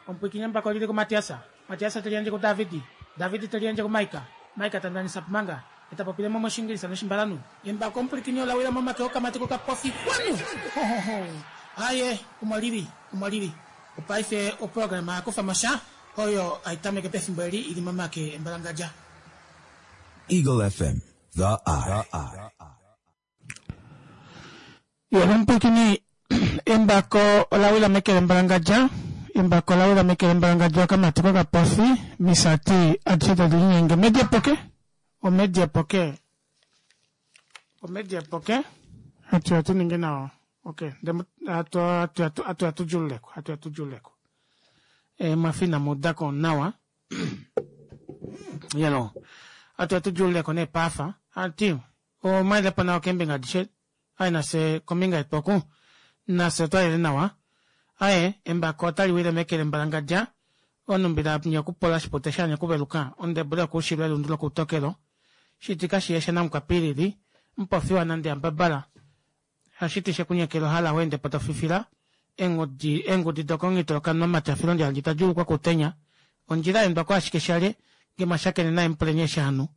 Omupwiikini embako oli li kuMatias. Matias te liyandje kuDavid. David te liyandje kuMaika. Maika ta ndanisa Pumanga. Ye ta popile mo mOshiingilisa nOshimbalanhu. Embako omupwilikini ola wila momake okamati kokapofi. Xwanu! Ho, ho, ho! Aye, omo li li. Omo li li. Opaife oprograma ya kufa mo sha, oyo hai tameke pefimbo eli i li momake embalangadja. Eagle FM, The Eye. Yolomupwilikini embako ola wila meke lembalangadja embako ola wila meke lembalangadja okamati kokapofi misati adishe tadi linyenge media poke omedia poke omedia poke hatu ya tu ninge nawa ok hatu ya tu djululeko hatu ya tu djululeko e, mwafina muudako nawa yelo hatu ya tu djululeko nee paafa ati Omwa po nawa keembinga adishe. Aye nafye kombinga yetu oku, nafye otwa lele nawa. Aye, embako otali wile meke lembalangadja, onumbila nye okupola shipute shanye okuveluka, ondebule yokuushilo elundu lokoutokelo, shitika shiye shanamukwapilili, mupofiwa nande ambabala, hashiti shekunyekela ohala weende po to fifila, eengudi, eengudi dokomungito lokanwamate afilondja handje ta djuulukwa koutenya, ondjila ya endwa ko ashike shalye, nge mwa shakene naye mupuleni eshi hanu.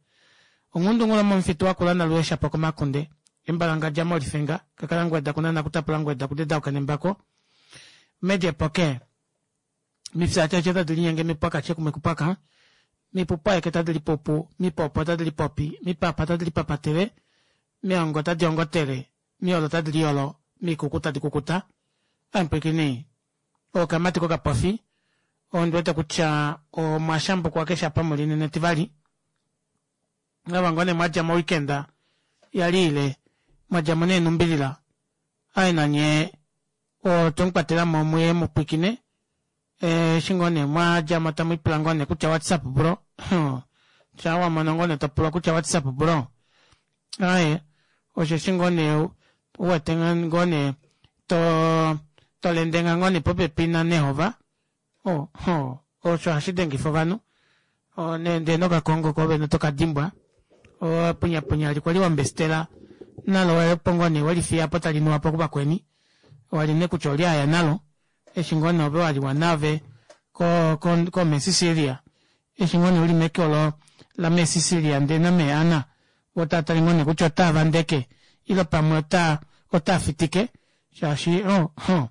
Onghundungulo momufitu wakula naluhesha po komakunde, embalangadja molifenga, kakala ngweda kunana kutapula ngweda kudedauka nembako, media poke, mifyaatyaatya tadi linyenge mipwakatye kumwe kupwaka, mipupwaeke tadi lipupu, mipopo tadi lipopi, mipapa tadi lipapatele, miongo tadi ongotele, miolo tadi liolo, mikuku tadi kukuta. Ampwikini, okamati kokapofi, ondi wete kutya omwa shambukwa keshe apa muli nena Etivali. Ava ngoo nee mwa dja moweekend ya li ile, mwa dja mo neenumbilila. Aye nanye otwe mu kwatela mo muye mu pwikine. Eshi ngoo nee mwa dja mo tamu ipula ngoo nee kutya what's up bro. Shaa wa mono ngoo nee to pulwa kutya what's up bro. Aye, osheshi ngoo nee u wete ngoo nee to to lendenga ngoo nee popepi naNehova. Oh, oh, osho hashi dengifa ovanhu. Oh, ndee nokakongo koovene oto ka dimbwa. Oh, punyapunya li kwali wa mbestela nalo opo ngoo nee weli fiya po tali nuwa po kuvakweni. Wali nee kutya oli aya nalo. Eshi ngoo nee ove wa liwa nave ko ko ko Mesisilia. Eshi ngoo nee uli meke olo la Mesisilia ndee na mee Anna vo tava tale ngoo nee kutya otava vandeke ile pamwe ota ota fitike shaashi oh, oh.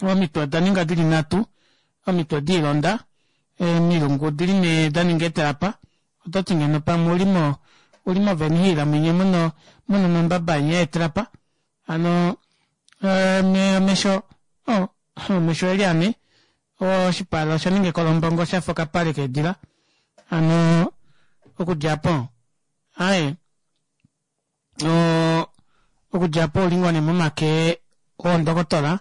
Omitwe oda ninga di li nhatu, omitwe diilonda, emilungu odi li nee da ninga eetalapa. Oto ti ngeno pamwe u li mo, u li moVenhill mwinya mu na, mu na omambaba enya eetrapa. Hano omesho, oh, omesho oe li ane, oshipala osha ninga ekolombongo sha fa okapale keedila. Hano okudja opo, aaye. Okudja opo ouli ngoo nee momake oondokotola,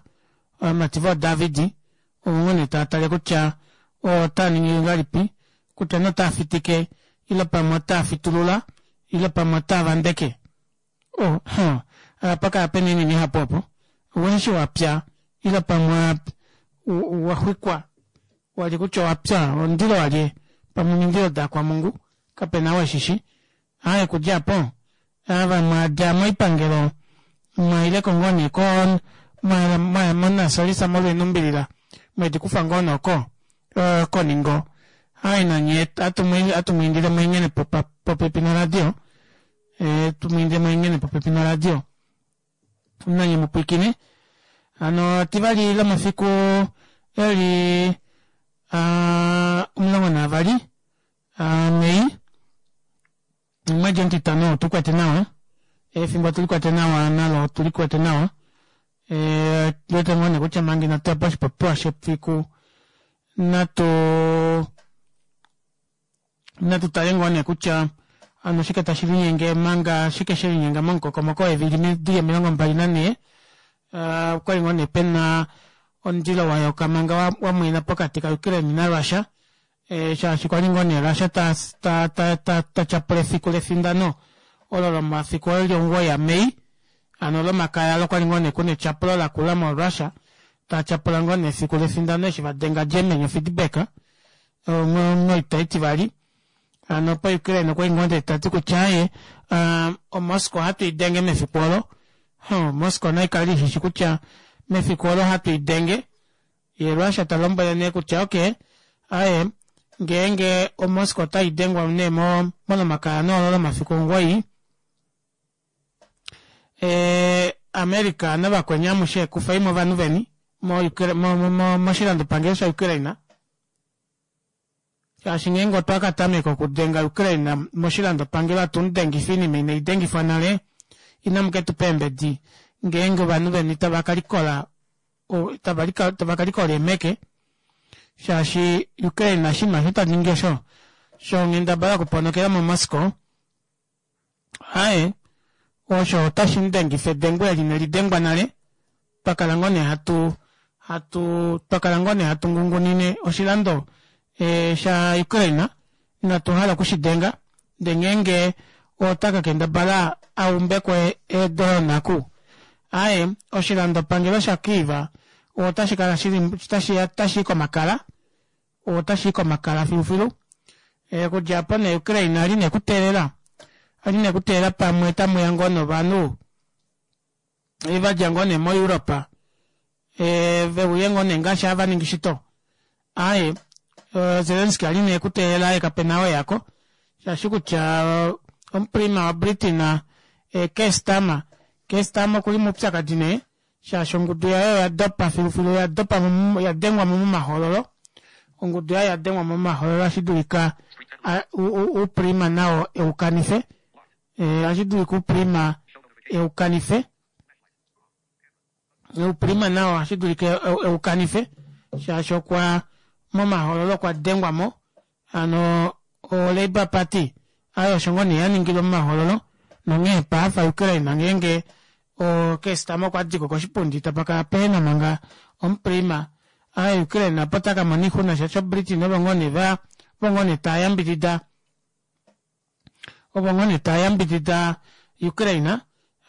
ovamati vooDavid, ovo ngoo nee tava tale kutya otaa ningi ngahelipi, kutya nee otaa fitike ile pamwe otaa fitulula ile pamwe otaa vandeke. Oh, huh, apa kala pena oinima ihapu opo. Oweshi wa pya ile pamwe wa xwikwa, wa li kutya owa pya, omundilo walye, pamwe omindilo daakwamungu, kapena ou eshishi. Aaye kudja apo ava mwa dja moipangelo mwa ileko ngoo nee ko mwaya monasolisa molwa enumbilila mwedi kufa ngoo nee oko koningo aaye nanye atu mu indile mweengene popepi noradio tu mu indile mweengene popepi noradio nanye mu pwiikine hano tivali lomafiku eli 12 Mei, omwedi omutitano otu kwete nawa, efimbo otu likwete nawa nalo otu likwete nawa. Wete ngoo nee kutya manga inatu ya poshipopiwa shefiku natu natu tale ngoo nee kutya ano oshike tashi linyenge manga shike she linyenga momukokomoko weevili dili 24 okwali ngoo nee pena omundilo wa yoka manga wa mwena pokati ka Ukraine na Russia. Shaashi kwa li ngoo nee Russia ta, ta, ta, ta, ta tyapula efiku lefindano olo lomafiku eli 9 aMei, hano Olomakaya olo kwa li ngoo nee kuna etyapulo lakula moRussia, ta tyapula ngoo nee efiku lefindano eshi va denga Germany ofeedback moita itivali. Hano po Ukraine okwa li ngoo nee ta ti kutya aye, oMoscow ohatu i denge mefiku olo. Huh, Moscow nai kale ishishi kutya mefiku olo ohatu i denge. Ye Russia ta lombwele nee kutya okay, aye ngeenge oMoscow otai dengwa nee mOlomakaya nee olo lomafiku 9, America navakweni amushe kufeimo ovanhu veni moshilandopangelo shaUkraine, shaashi ngeenge otwa ka tameka okudenga Ukraine moshilandopangelo atu mu dengifa oinima inai dengifwa nale, inamu ke tu pa eembedi ngeenge ovanhu veni tava ka likola tava ka likola eemeke, shaashi Ukraine oshinima osho ta ningi osho shonghendabala okuponokela moMoscow, aye osho otashi mu dengifa edengo eli inali dengwa nale. Twa kala ngoo nee hatu hatu twa kala ngoo nee hatu ngungunine oshilando e, sha Ukraine inatu hala okushidenga ndee ngeenge ota ka kendabala a umbeko eedola naku aye oshilandopangelo sha Kyiv otashi kala shili tashi i komakala otashi i komakala filufilu. Okudja apo nee Ukraine ali nee kuteelela ali nee kuteelela pamwe tamuya ngoo novanhu va dja ngoo nee moEurope veuye ngoo nee ngaashi hava ningi shito. Aaye Zelensky ali nee kuteelela aye kapena oo eyako shaashi kutya omuprima waBritain Keir Starmer Keir Starmer okuli moupyakadi nee shaashi ongudu yaye oya dopa filufilu oya dopa ya dengwa mo momahoololo ongudu yaye ya dengwa mo momahoololo ohashi dulika ouprima nao eukanife ohashi dulika ouprima eukanife ouprima nao ohashi dulika eukanife shaashi okwa momahoololo okwa dengwa mo Hano o Labour Party ayo osho ngoo nee ya ningilwe momahoololo nonghee paafa Ukraine ngeenge o Keir Starmer okwa diko koshipundi tapa kala pehena manga omuprima aye Ukraine apo ota ka mona oixuna shaashi o Britain ovo ngoo nee va ovo ngoo nee tava yambidida ovo ngoo nee tava yambidida Ukraine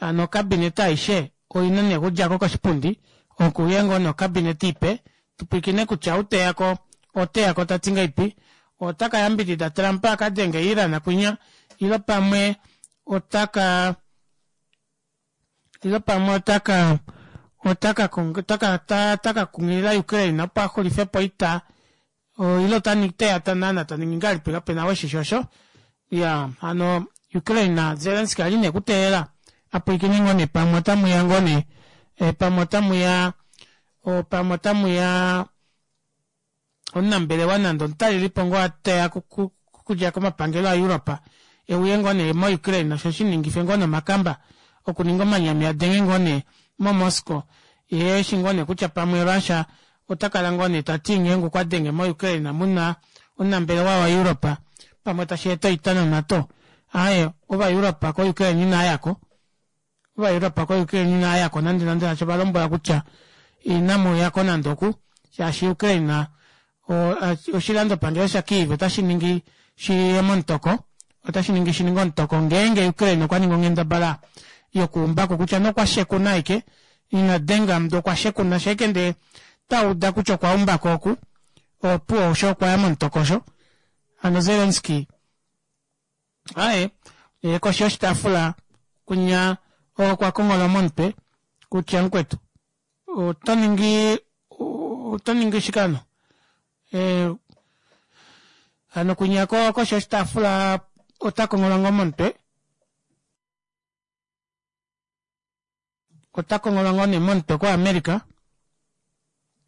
hano ocabinet aishe oina nee okudjako koshipundi okuuye ngoo nee ocabinet ipe Tupwiikine kutya ou teya ko oteya ko ta ti ngaipi, ota ka yambidida Trump a ka denge Iran kwinya ilo pamwe ota ka ilo pamwe ota ka ota ka ota ka ota ka kunghilila Ukraine opo a xulife po oita ilo ota teya ta naana ta ningi ngahelipi kapena weshishi osho. Ya hano Ukraine Zelensky ali nee kuteelela a pwiikine ngoo nee pamwe otamu ya ngoo nee pamwe otamu ya Pamwe otamu ya omunambelewa nande omutalelipo ngoo a teya okudja komapangelo aEurope e uye ngoo nee moUkraine osho shi ningife ngoo nee omakamba okuninga omanyami a denge ngoo nee moMoscow ye eshi ngoo nee kutya pamwe Russia ota kala ngoo nee ta ti ngeenge okwa denge moUkraine mu na omunambelewa waEurope pamwe tashi eta oita noNato. Aaye, Ovaeurope koUkraine inaa yako. Ovaeuropa koUkraine inaa yako nande nande shaashi ova lombwela kutya inamu yako nande oku shaashi Ukraine oshilandopangelo shaKyiv otashi ningi shi ye momutoko otashi ningi shi ninge omutoko ngeenge Ukraine okwa ningi onghendabala yokuumbako kutya nokwa shekuna aike ina denga ndee okwa shekuna sheke ndee tauda kutya okwa umbako oku opuwo osho okwa ya momutoko osho hano Zelensky Aye, ye koshi yoshitaafula kwinya okwa konghola momutwe kutya mukwetu oto ningi oto ningi shike hano? Eh, hano kwinya koshi yoshitaafula ota konghola ngoo momutwe Ota konghola ngoo nee momutwe koAmerica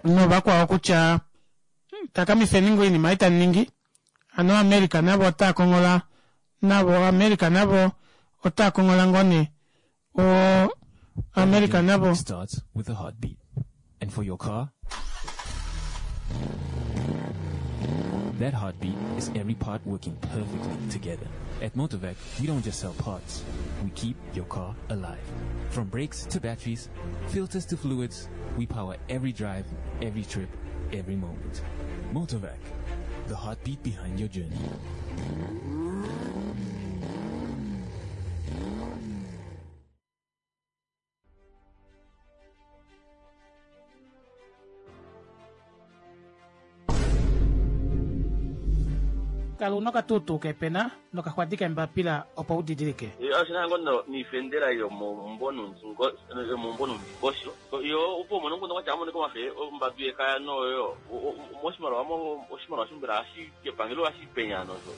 novakwao kutya takamifeni ngoo oinima ei tamu ningi. Hano America navo otaa konghola navo America navo otaa konghola ngoo nee o America navo starts with a heartbeat. And for your car, that heartbeat is every part working perfectly together. At Motorvac, we don't just sell parts. We keep your car alive. From brakes to batteries, filters to fluids, we power every drive, every trip, every moment. Motorvac, the heartbeat behind your journey. Kala una okatuutuu keepena nokaxwadi keembapila opo u didilike. Oshi na ngoo niifendela yomomumvo nuundingosho yo opo umone omukundu gwatya amonike omafe ombambi yekaya noyo moshimaliwa oshimaliwa shombela hashi kepangelo hashi penya nosho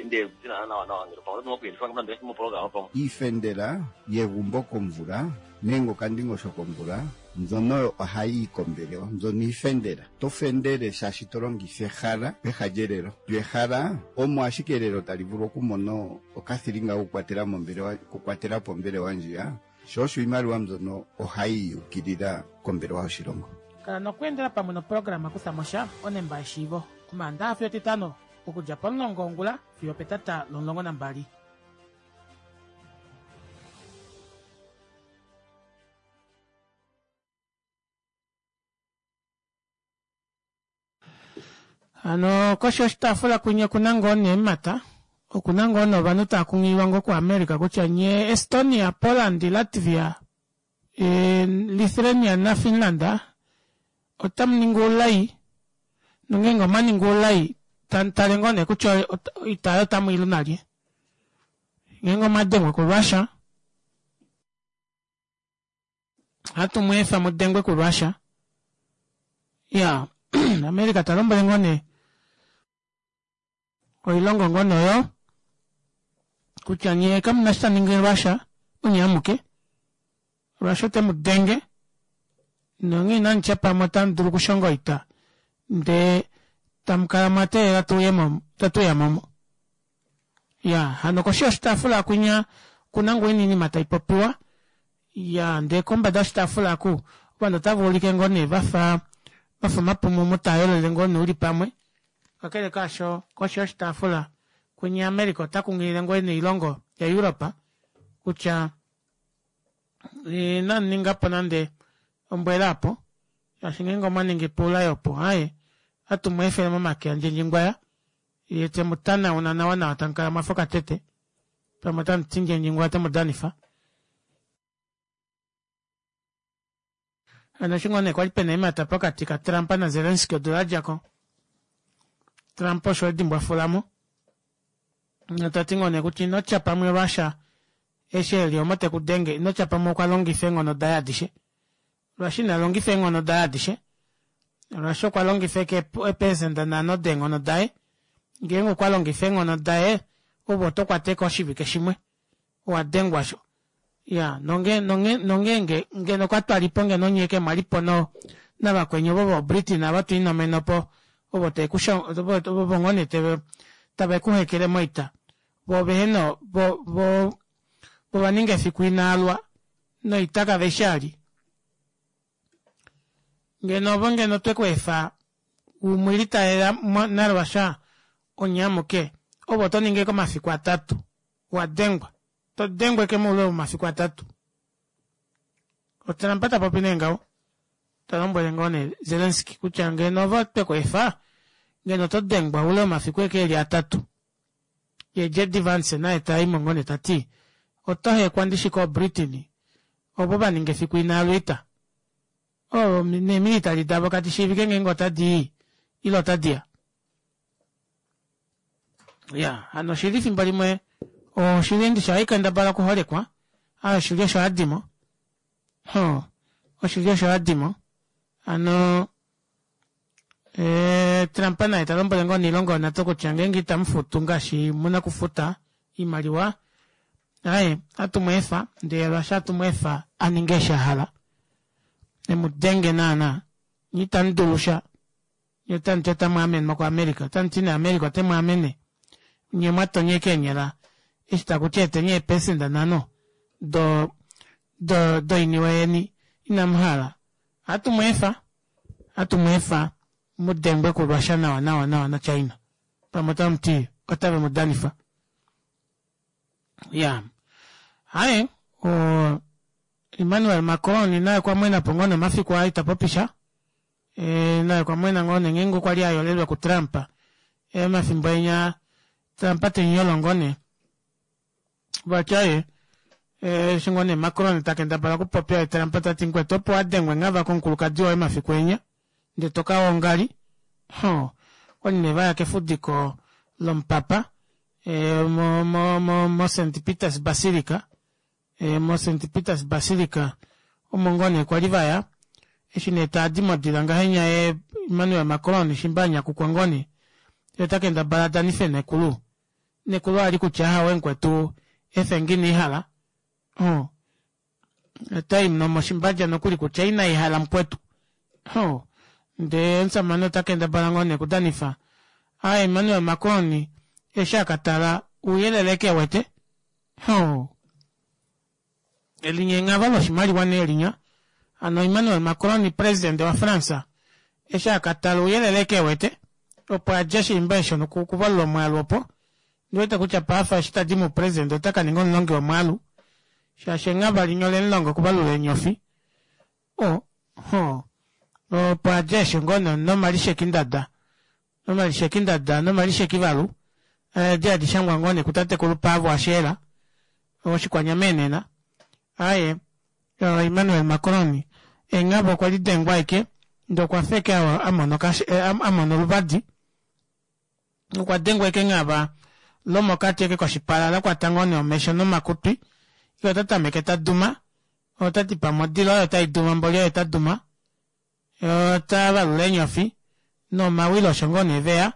nde nawa nawa ngele pamwe oto nande mopologama pamwe. Iifendela yegumbo komvula nenge okandingosho komvula mbyono oyo ohayi yi kombelewa mbyono iifendela. To fendele shaashi to longitha ehala peha lyelelo. Lyo ehala omo ashike elelo tali vulu okumona okathilinga kokukwatela mombelewa okukwatela po ombelewa ndjiya, sho osho iimaliwa mbyono ohayi yi ukilila kombelewa yoshilongo. Kala nokweendela pamwe noprograma Kutha mo sha onemba yeshiivo Omaandaha fiyo Etitano okudja pomulongo wongula fiyo opetata lomulongo nambali. Hano koshi yoshitaafula kwinya okuna ngoo nee eemhata, okuna ngoo nee ovanhu tava kunghililwa ngoo kuAmerica kutya nyee Estonia, Poland, Latvia, Lithuania naFinland otamu ningi oulai nongeenge omwa ningi oulai tamu tale ngoo nee kutya oita oyo otamu i lu nalye ngeenge omwa dengwa kuRussia Ohatu mu efa mu dengwe kuRussia. Ya, America ta lombwele ngoo nee oilongo ngoo nee oyo kutya nye kamu na shi tamu ningi Russia onye amuke. Russia ote mu denge nonghee inamu tya pamwe otamu dulu okushonga oita ndee tamu kala mwa teelela tu uye mo, tatu uya mo. Ya, hano koshi yoshitaafula kwinya okuna ngoo oinima tai popiwa. Ya, ndee kombada yoshitaafula aku ovanhu otava ulike ngoo nee vafa vafa omapumumu taa yolele ngoo nee uli pamwe. Kakele kaasho, koshi yoshitaafula kwinya America ota kunghilile ngoo nee oilongo yaEurope kutya inamu ninga po nande ombwela opo, shaashi ngeenge omwa ningi po oulai opo, aaye, ohatu mu efele momake aNdjendjingwaya Ye te mu tanauna nawanawa tamu kala mwa fa okatete, pamwe otamu ti Ndjendjingwa ote mu danifa. Hano eshi ngoo nee kwali pena eemhata pokati kaTrump naZelensky odula ya dja ko, Trump osho edi mbwafula mo nota ti ngoo nee kutya ino tya pamwe Russia eshi e li omo te ku denge, ino tya pamwe okwa longifa eenghono daye adishe. Russia ina longifa eenghono daye adishe. Russia okwa longifa eke eepesenda nhano deenghono daye. Ngeenge okwa longifa eenghono daye, ove oto kwata eke oshivike shimwe. Owa dengwa sho. Ya, nonge, nonge, nongeenge ngeno kwa twa lipo ngeno nye ke mwa lipo no, navakweni ovo voBritain ava twa inomeno po, ovo te ku ovo, ovo ngoo nee teve, tave ku hekele moita. Vo vehe no, vo, vo, vo va ninga efiku inaalwa noita kave shi ali. Ngeno ovo ngeno twe ku efa u mwilitalela naRussia onye amuke, ove oto ningi eke omafiku atatu wa dengwa. To dengwa eke moule womafiku atatu. OTrump ta popi nee ngaho, ta lombwele ngoo nee Zelensky kutya ngeno ovo twe ku efa, ngeno oto dengwa oule womafiku eke eli atatu. Ye JD Vance naye ta i mo ngoo nee ta ti, Oto hekwa ndishi kooBritain ovo va ninga efiku inaa lwiita. Oo neemilitali davo kadi shiivike ngeenge otadi i ile otadi ya. Ya, hano oshili fimbo limwe oshili ndishi ohai kendabala okuholekwa, aa oshili osho hadimo. Ho, oshili osho hadimo. Hano Eh, Trump naye ta lombwele ngoo niilongo yoNato kutya ngeenge itamu futu ngaashi mu na okufuta iimaliwa, aye ohatu mu efa, ndele Russia ohatu mu efa a ninge eshi a hala. E mu denge naana. Nye itamu dulu sha. Nye otamu ti otamu amenwa kuAmerica. Otamu ti nee America ote mu amene. Nye mwa tonya ashike eenyala eshi taku ti eteni eepesenda nhano do, do, doiniwe yeni. Inamu hala. Ohatu mu efa. Ohatu mu efa mu dengwe kuRussia nawa nawa nawa naChina. Pamwe otamu ti otave mu danifa. Ya. Haye, o, Emmanuel Macron naye okwa mwena po ngoo nomafiku aa ita popi sha. E, naye okwa mwena ngoo nee ngeenge okwa li a yolelwa kuTrump. E, omafimbo enya Trump te mu yolo ngoo nee. Vati aye eshi ngoo nee Macron ta kendabala okupopya ye Trump ta ti mukwetu opo wa dengwe nghava komukulukadi woye mafiku enya ndee to ka wongali. Hoo, okwali nee va ya kefudiko. lomupapa mo mo mo mo St Peters Basilica mo St Peters Basilica omo ngoo nee kwali vaya eshi nee taadi modila ngahenya ye Emmanuel Macron shimba anyakukwa ngoo nee ye ota kendabala adanife nekulu nekulu ali kutya ahawe mukwetu efe ngini ihala oh. Otai nomoshimbaja nokuli kutya inai hala mukwetu. Ho, ndee omusamane ota kendabala ngoo nee okudanifa. A Emmanuel Macron eshi a ka tala ouyelele ke wete. Ho, elinya enghava loshimaliwa nee linya. Hano Emmanuel Macron presidente waFrance eshi a ka tala ouyelele ke wete opo a dja shiimba esho nokuvalula omwaalu opo. Ndi wete kutya paife eshi ta di moupresidente ota ka ninga omulongi womwaalu shaashi enghava linya ole mu longa okuvalula eenyofi. O, ho, opo a dja esho ngoo nomalishekindada, nomalishekindada nomalishekivalu edi hadi shangwa ngoo nee kutatekulu Paavo Asheela Oshikwanyama enena. Aaye, Emmanuel Macron enghava okwe li dengwa aike ndee okwa fa eke a mona a mona oluvadi. Okwa dengwa ekenghava lomokati eke koshipala la kwata ngoo nee omesho nomakutwi, ye ota tameke ta duma, ota ti pamwe odila oyo tai duma mboli oye ta duma, ye ota valula eenyofi nomawilo osho ngoo nee veya,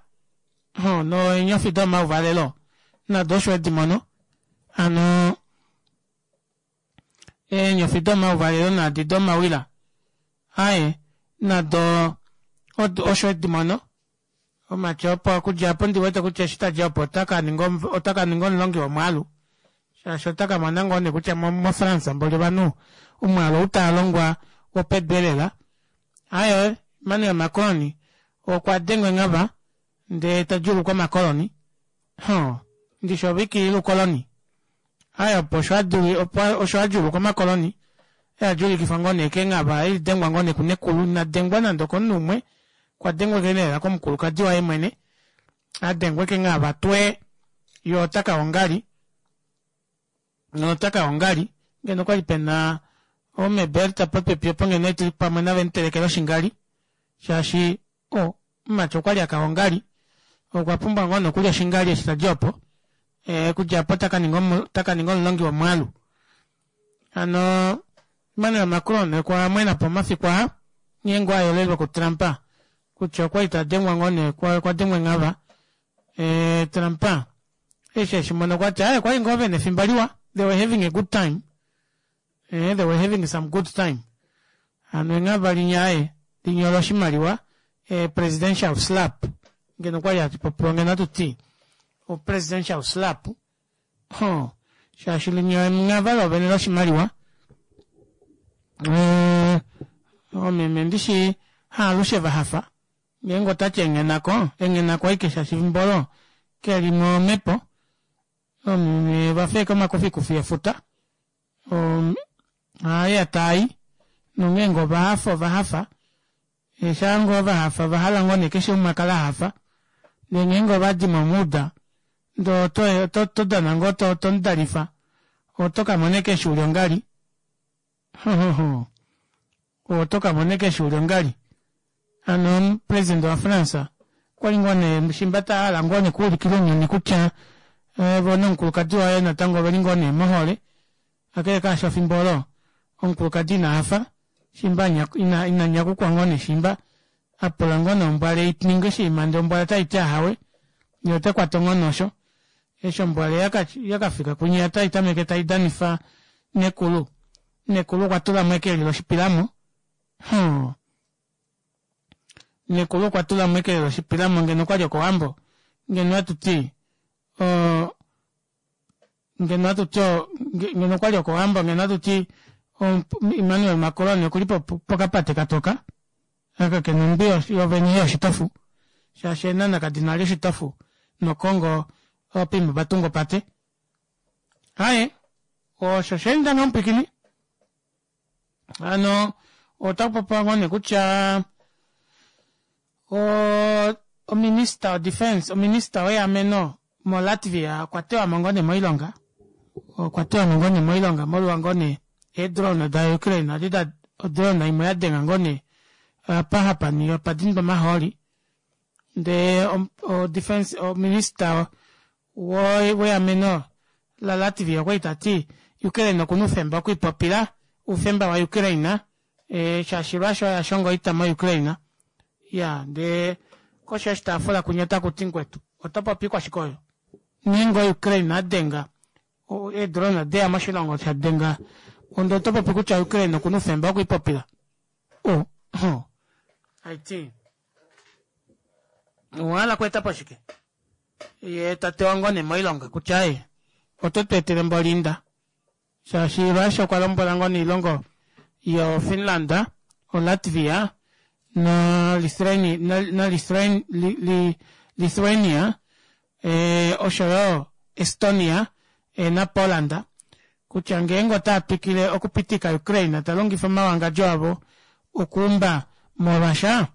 ho neenyofi domauvalelo nado osho edi mono, hano eenyofi domauvalelo naadi domawila aye nado osho edi mono. Omatya opo okudja opo ndi wete kutya eshi tadja opo ota ka ninga ota ka ninga omulongi womwaalu shaashi ota ka mona ngoo nee kutya moFrance mboli ovanhu omwaalu ou taa longwa wopedu elela. Aaye Emmanuel Macron okwa dengwa enghava ndee ta djuulukwa omakoloni. Huh, ndishi ove ikilila ukoloni. Aaye opo osho a opo osho a djuulukwa omakoloni e a djuulikifwa ngoo nee kenghava e li dengwa ngoo nee kunekulu ina dengwa nande okomunhu umwe okwa dengwa ke lela komukulukadi waye mwene a dengwe kenghava twe ye ota ka ongali nota ka ongali ngeno okwali pena ome Berta popepi opo ngeno etuli pamwe nave mutelekela oshingali shaashi o omumati okwali aka ongali okwa pumbwa ngoo nokulya oshingali eshi tadi opo e, kudja opo taka ninga taka ninga omulongi womwaalu hano Emmanuel Macron okwa mwena po omafiku aa nghee ngoo a yolelwa kuTrump kutya okwali ta dengwa ngoo nee kwa dengwa enghava e, Trump eshi eshi mona okwa ti aye kwali ngoo vena efimbo liwa they were having a good time eh, they were having some good time hano enghava linya aye linyola oshimaliwa eh, presidential slap ngeno kwali hatu popiwa ngeno hatu ti o presidential slap ho shaashi linya enghava lovene loshimaliwa eh, omeme ndishi haalushe va hafa ngeenge otati enghenako enghenako aike shaashi efimbo olo keli momhepo Omeme va feeka omakufikufi efuta aaye taai nongeenge ova hafa ova hafa shaa ngoo va hafa ova hala ngoo nee keshe umwe a kale a hafa ndee ngeenge ova di momuuda ndee oto oto oto dana ngoo to to mudalifa oto ka mona eke eshi uli ongali Oto ka mona eke eshi uli ongali hano omupresident wa France okwali ngoo nee shimba ta hala ngoo nee kuulikila ounyuni kutya eh, vo nomukulukadi waye natango oveli ngoo nee mohole kakele kaasho efimbo olo omukulukadi ina hafa shimba ina, ina nyakukwa ngoo nee shimba a pula ngoo nee ombwale i ninge oshinima ndee ombwale otai ti ahawe ye ote kwata onghone osho eshi ombwale yaka yaka fika kunye otai tameke tai danifa nekulu nekulu okwa tula mo eke loshipilamo Hoo. Nekulu okwa tula mo eke loshipilamo ngeno okwali okowambo ngeno atu ti o ngeno atu ti ngeno okwali okowambo ngeno atu ti Emmanuel Macron okuli pokapate katoka aka kena ondwi yovene yoshitofu shaashi Eenhana kadi na oshitofu nOkongo oopimba va tunga opate. Aye osho sha enda ngaho mupwiikini. Hano otaku popiwa ngoo nee kutya ominista yodefense, ominista weameno moLatvia okwa tewa mo ngoo nee moilonga, okwa tewa mo ngoo nee moilonga molwa ngoo nee eedrone daUkraine adi da odrone imwe ya denga ngoo nee apa hapa opa dindwa omahooli. Ndee o defense o minister weameno la Latvia okwali tati Ukraine okuna oufemba okwiipopila oufemba wa Ukraine shaashi Russia oye ashonga oita mo Ukraine. Iyaa ndee koshi yoshitaafula kunya otakuti mukwetu oto popi ikwashike oyo? Nghee ngoo Ukraine adenga eedrone odeya moshilongo shadenga onde oto popi kutya Ukraine okuna oufemba wokwiipopila? Oh, oh. Haiti owahala okweeta po shike? Ye ta tewa ngoo nee moilonga kutya aye oto tu etele mbolinda shaashi Russia okwa lombwela ngoo nee oilongo yo Finland, o Latvia na Lithuania osho yo Estonia na Poland kutya ngeenge otava twikile okupitika Ukraine ta longifa omawangadjo avo okuumba moRussia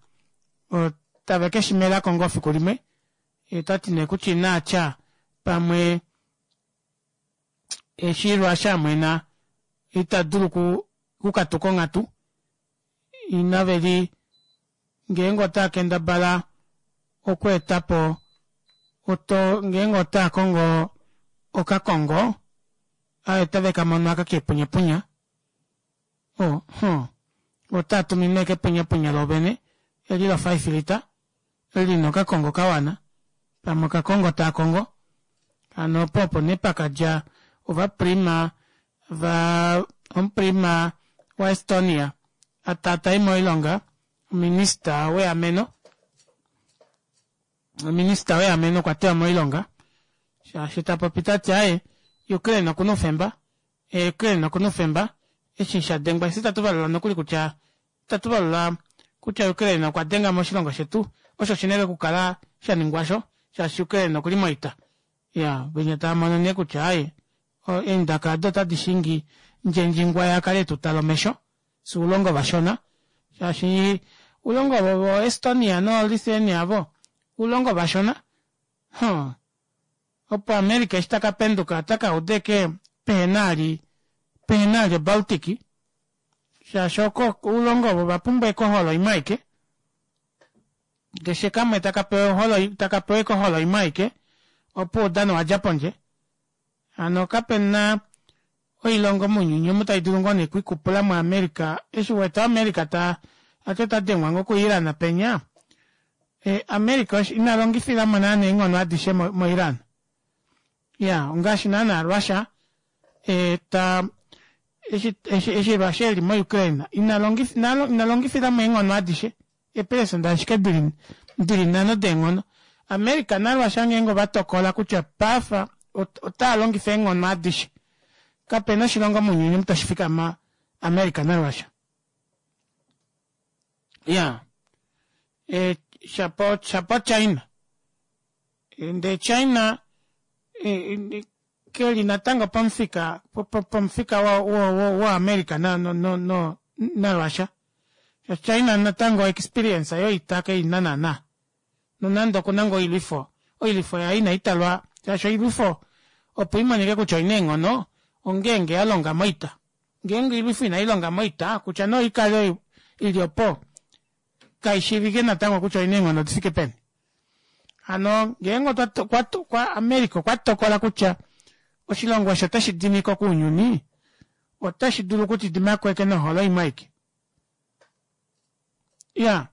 otave ke shi mela ko ngoo fiku limwe. Ye ota ti nee kutya inaa tya pamwe eshi Russia a mwena ita dulu okukatuka onghatu inave li ngeenge otaa kendabala okweeta po oto ngeenge otaa kongo okakongo aye otave ka mono aka kepunyapunya o huh otaa tumine kepunyapunya lovene eli lo 5 lita li na okakongo ka wana, pamwe okakongo taa kongo. Hano opo opo nee pa ka dja ovaprima va omuprima waEstonia a taatai moilonga ominista weameno. Ominista weameno okwa tewa moilonga shaashi ta popi ta ti aye Ukraine oku na oufemba, Ukraine oku na oufemba eshi sha dengwa eshi itatu valula nokuli kutya Itatu valula kutya Ukraine okwa denga moshilongo shetu, osho oshi na okukala sha ningwa sho, shaashi Ukraine okuli moita. Ya, venya tava mono nee kutya aaye, eendaka ado otadi shingi Ndjendjingwa ya kale etu tala omesho, fye oulongo vashona, shaashi oulongo ovo vo Estonia no Lithuania avo, oulongo vashona. Huh. Opo America eshi taka penduka ota ka uda eke pehena ali, pehena ali oBaltic, shaashi oko oulongo ovo va pumbwa ekoholo imwe aike keshe kamwe taka pewa oholo taka pewa ekoholo imwe aike opo oudano wa dja pondje hano kape na oilongo mounyuni omu tai dulu ngoo nee okwiikupula muAmerica eshi wete America ta ati ota dengwa ngoo kuIran penya e, America ina longifila mo naana eenghono adishe moIran Ya, ongaashi naanaa Russia e, ta eshi eshi eshi Russia eli moUkraine ina longifa ina, ina longifila mo eenghono adishe eepelesenda ashike dili dili nhano deenghono. America naRussia ngeenge ova tokola kutya paife otaa longifa eenghono adishe, kape na oshilongo mounyuni omu tashi fikama America naRussia. Ya, e, shapo shapo China Ndee China ke li natango pamufika pomufika waAmerica naRussia. China natango experience yoita ke i na naana. Nonande oku na ngoo oilwifo, oilwifo yaye inai talwa shaashi oilwifo opo i monike kutya oi na eenghono ongeenge ya longa moita. Ngeenge oilwifo inai longa moita kutya nee oikale i li opo kai shiivike natango kutya oina eenghono di fike peni. Hano ngeenge otwa America okwa tokola kutya oshilongo osho otashi dimi ko kounyuni, otashi dulu okuti dima ko eke noholo imwe aike. Ya.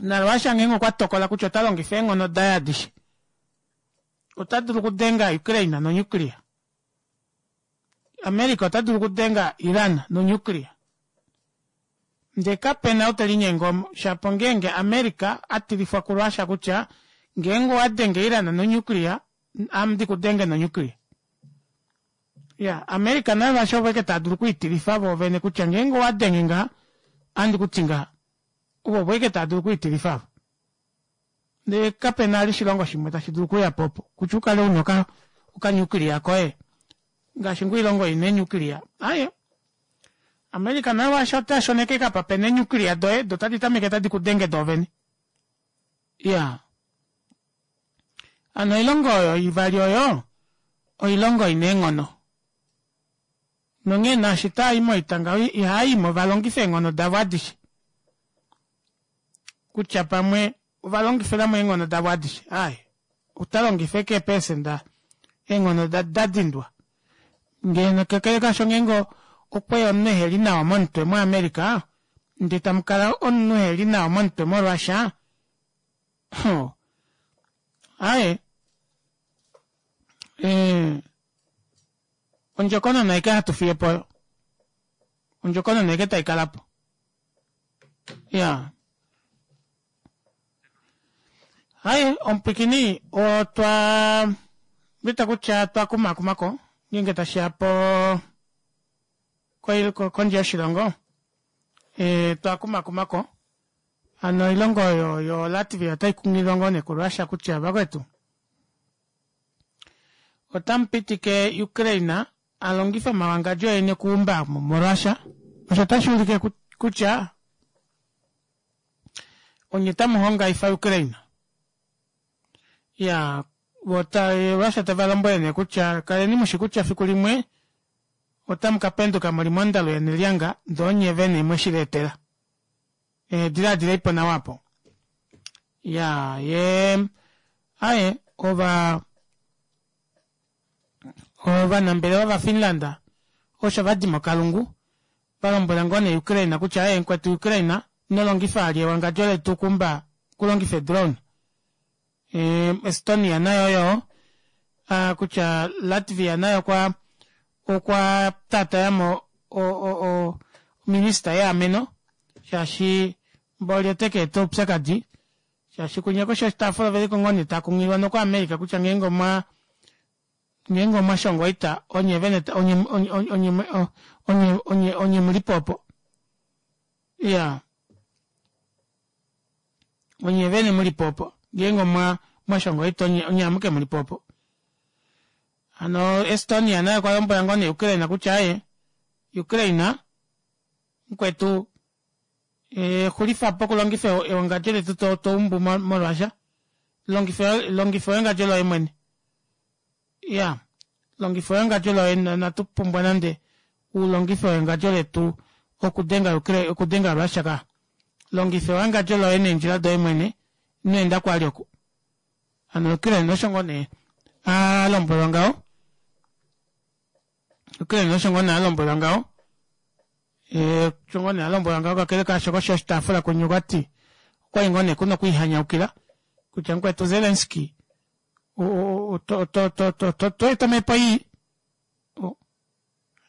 NaRussia ngeenge okwa tokola kutya ota longifa eenghono daye adishe, ota dulu okudenga Ukraine nonuclear. America ota dulu okudenga Iran nonuclear. Ndee kape na ou te linyenge omo, shapo ngeenge America a tilifwa kuRussia kutya ngeenge owa denge Iran nonuclear, ame ndi ku denge nonuclear. Ya, America naRussia ovo ashike tava dulu okwiitilifa voovene kutya ngeenge owa denge ngaha, ohandi ku ti ngaha. Ovo ovo ashike tava dulu okwiitilifa avo. Ndele kape na vali oshilongo shimwe tashi dulu okuuya po opo kutya u kale u na okanyukiliya koye ngaashi ngoo oilongo i na eenyukiliya. Aaye, America naye osho ota shoneke kapa pe na eenyukiliya doye, do tadi tameke tadi ku denge doovene. Iya. Hano oilongo oyo ivali oyo oilongo i na eenghono. Nonghee naashi taa i moita ngaho ihaa i mo va longife eenghono davo adishe. kutya pamwe ova longifilamo eenghono davo adishe aaye ota longifa eke eepelesenda eenghono da dindwa ngeno kakele kasho ngeenge okweya omunhu eheli nawa momutwe moAmerica ndee tamukala omunhu eheli nawa momutwe moRussia aaye eh, ondjokonona aike hatu fiye po oyo ondjokonona aike tai kala po ya haye omupwikini otwa wita kutya twa kumakumako ngeenge tashi ya po kondje yoshilongo e, twa kumakumako hano oilongo oyo yo Latvia otai kunghililwa ngoo nee kuRussia kutya vakwetu otamu pitike Ukraine a longife omawangadjo eni okuumba moRussia osho otashi ulike kutya onye tamu hongaifa Ukraine ya Russia tava lombwele nee kutya kaleni mushi kutya fiku limwe otamu ka penduka muli mondalo yenelyanga ndee onye vene mwe shi lietela. E, diladilei po nawa apo. Ya, ye, aye, ova, ovanambelewa vaFinland osho va di mokalungu va lombwela ngoo nee Ukraine kutya aye mukwetu Ukraine ino longifa ali ewangadjo letu kumba kulongifa edrone. E, Estonia nayo yo a, kutya Latvia naye okwa okwa taatayamo o, o, o, ominista yeameno shaashi mboli ote ka eta oupyakadi shaashi kunya koshi yoshitaafula oveli ko ngoo nee taa kunghililwa nokuAmerica kutya ngeenge omwa ngeenge omwa shonga oita onye vene onye onye onye onye onye onye mulipo opo iya onye vene muli po opo ngeenge omwa mwashonga oita onye onye amuke muli po opo hano Estonia naye okwa lombwela ngoo nee Ukraine kutya aye Ukraine mukwetu e, xulifa po okulongifa ewangadjo letu to, to umbu moRussia longifa longifa ewangadjo loye mwene ya longifa ewangadjo loye natu pumbwa nande u longife ewangadjo letu okudenga Ukraine okudenga Russia ka longifa ewangadjo loye neendjila doye mwene ino enda kwali oku hano Ukraine osho ngoo nee a lombwelwa ngaho Ukraine osho ngoo nee a lombwelwa ngaho eh, osho ngoo nee a lombwelwa ngaho kakele kaasho koshi yoshitaafula kunye okwa ti okwali ngoo nee kuna okwiihanyaukila kutya mukwetu Zelensky to eta omhepo ii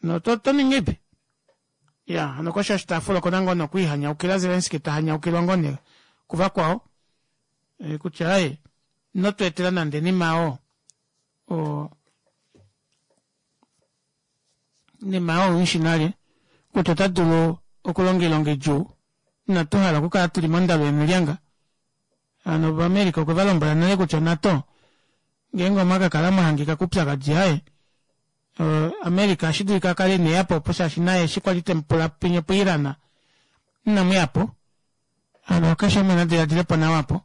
no to to ningi ipi ya hano koshi yoshitaafula okuna ngoo nokwiihanyaukila Zelensky ta hanyaukilwa ngoo nee kuvakwao e, kutya aye ino tu etela nande nima oo o nima oo ushi nale kutya ota dulu okulonga oilonga idjuu inatu hala okukala tuli mondalo yemilyanga Hano Ovamerika okwe va lombwela nale kutya NATO ngeenge omwa ka kala mwa hangika koupyakadi aye America ohashi dulika a kale ine ya po opo shaashi naye eshi kwali te mu pula pinye puIran inamu ya po. Hano keshe umwe na diladile po nawa apo.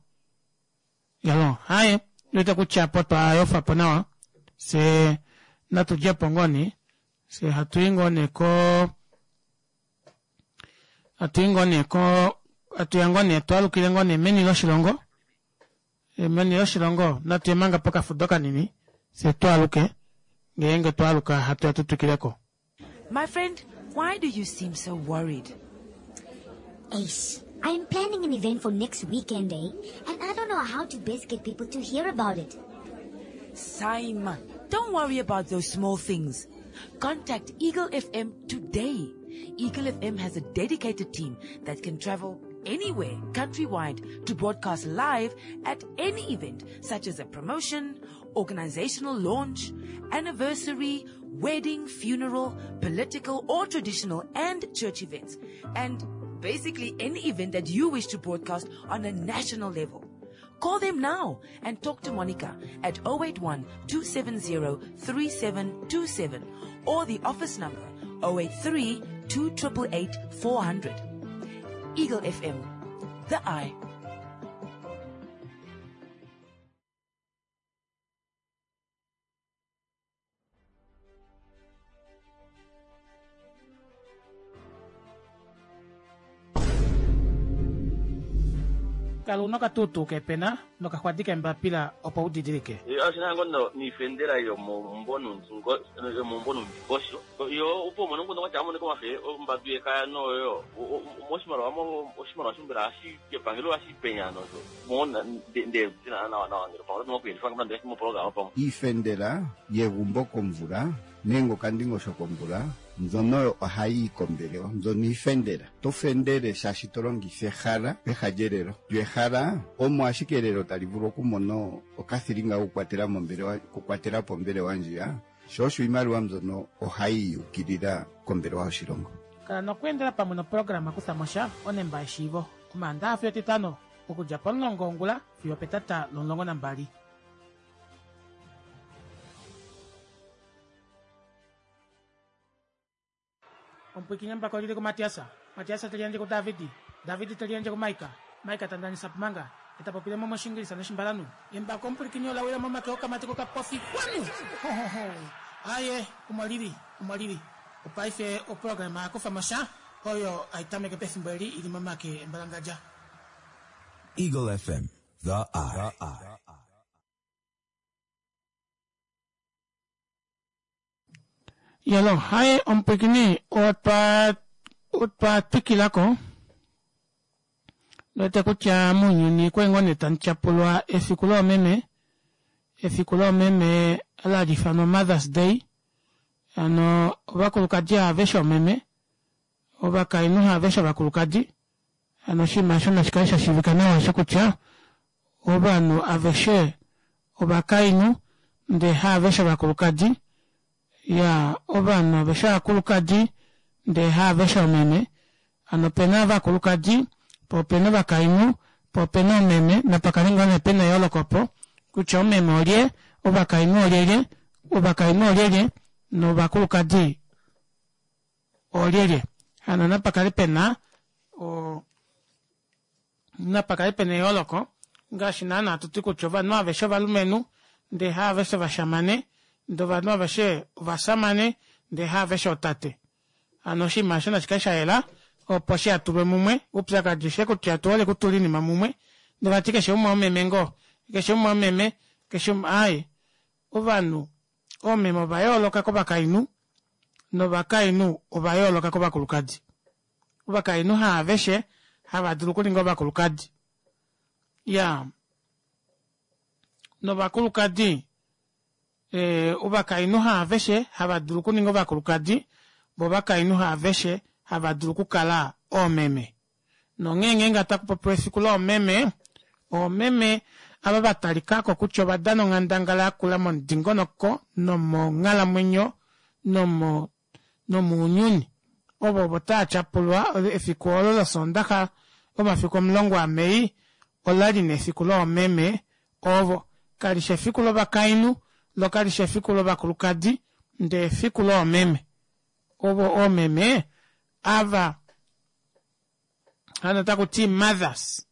Yalo, haye, wete kutya apo twa yofa po nawa. Fye natu dje po ngoo nee. Fye hatu i ngoo nee ko Atu yi ngoo nee ko atu ya ngoo nee twalukile ngoo nee meni loshilongo e, meni loshilongo natu ye manga pokafudo kanini fye twaluke ngeenge twaluka hatu ya tu twikileko My friend, why do you seem so worried? Ace, I'm planning an event for next weekend, eh? And I don't know how to best get people to hear about it. Simon, don't worry about those small things. Contact Eagle FM today. Eagle FM has a dedicated team that can travel anywhere countrywide to broadcast live at any event such as a promotion, organizational launch, anniversary, wedding, funeral, political or traditional and church events. And basically any event that you wish to broadcast on a national level. Call them now and talk to Monica at 081 270 3727 or the office number 083 288 400. Eagle FM, the eye. Kala una okatuutuu keepena nokaxwadi keembapila opo u didilike. Oshi na ngoo noifendela yomaumbo noundingosho. Yo opo umone omukundu kwatya amonike omafe ombadu yekaya noyo moshimaliwa oshimaliwa sho mbela hashi kepangelo hashi penya nosho mo nde tina nawa nawa ngele pamwe oto kuyelifa nande moprograma pamwe. Iifendela yegumbo komvula nenge okandingosho komvula mbyono oyo ohayi yi kombelewa mbyono iifendela. To fendele shaashi to longitha ehala peha lyelelo. Lyo ehala omo ashike elelo tali vulu okumona okathilinga kokukwatela mombelewa okukwatela po ombelewa ndjiya. Sho osho iimaliwa mbyono ohayi yukilila kombelewa yoshilongo. Kala nokweendela pamwe noprograma Kutha mo sha, onemba yeshiivo, Omaandaha fiyo Etitano, okudja pomulongo wongula fiyo opetata lomulongo nambali. Omupwiikini embako oli li kuMatias, Matias te liyandje kuDavid, David te liyandje kuMaika, Maika ta ndanisa Pumanga, ye ta popile mo mOshiingilisa nOshimbalanhu. Embako omupwilikini ola wila momake okamati kokapofi Kwanu! Ho ho ho! Aaye, omo li li, omo li li. Opaife oprograma ya kufa mo sha, oyo hai tameke pefimbo eli i li momake embalangadja. Eagle FM, The Eye. Yalo, haye omupwikini otwa otwa twikilako lwete kutya mounyuni kwali ngoo nee tamu tyapulwa efiku loomeme efiku loomeme la li ifanwa Mother's Day hano ovakulukadi aveshe oomeme ovakainhu haaveshe ovakulukadi hano oshinima osho nashi kale sha shiivika nawa osho kutya ovanhu aveshe ovakainhu ndee haaveshe ovakulukadi ya ovanhu aveshe ovakulukadi ndee haaveshe omeme hano opena ovakulukadi po opena ovakainhu po opena omeme napakale ngoo nee pena eyooloko opo kutya omeme olye ovakainhu olyelye ovakainhu olyelye novakulukadi oolyelye hano napa kale pena o napa kale pena eyooloko ngaashi naana hatu ti kutya ovanhu aveshe ovalumenhu ndee haaveshe ovashamane ndee ovanhu aveshe ovasamane ndee haaveshe otate hano oshinima osho nashi kale sha yela opo shi hatulwe mumwe oupyakadi oshe kutya otu hole kutula oinima mumwe ndee vati keshe umwe omeme ngoo keshe umwe omeme keshe umwe aaye ovanhu Oomeme ova yooloka kovakainhu, novakainhu ova yooloka kovakulukadi. Ovakainhu haaveshe hava dulu okuninga ovakulukadi. Ya. Novakulukadi, eh, ovakainhu haaveshe hava dulu okuninga ovakulukadi, vo ovakainhu haaveshe hava dulu okukala oomeme. Nonghee ngeenge otaku popiwa efiku loomeme, oomeme ava va talika ko kutya ova dana onghandangala ya kula momudingonoko nomonghalamwenyo nomo nomounyuni. Ovo ovo tava tyapulwa efiku olo lOsoondaxa omafiku omulongo aMei ola li nefiku loomeme ovo. Kali shi efiku lovakainhu, lo kali shi efiku lovakulukadi, ndee efiku loomeme. Ovo oomeme ava hano taku ti mothers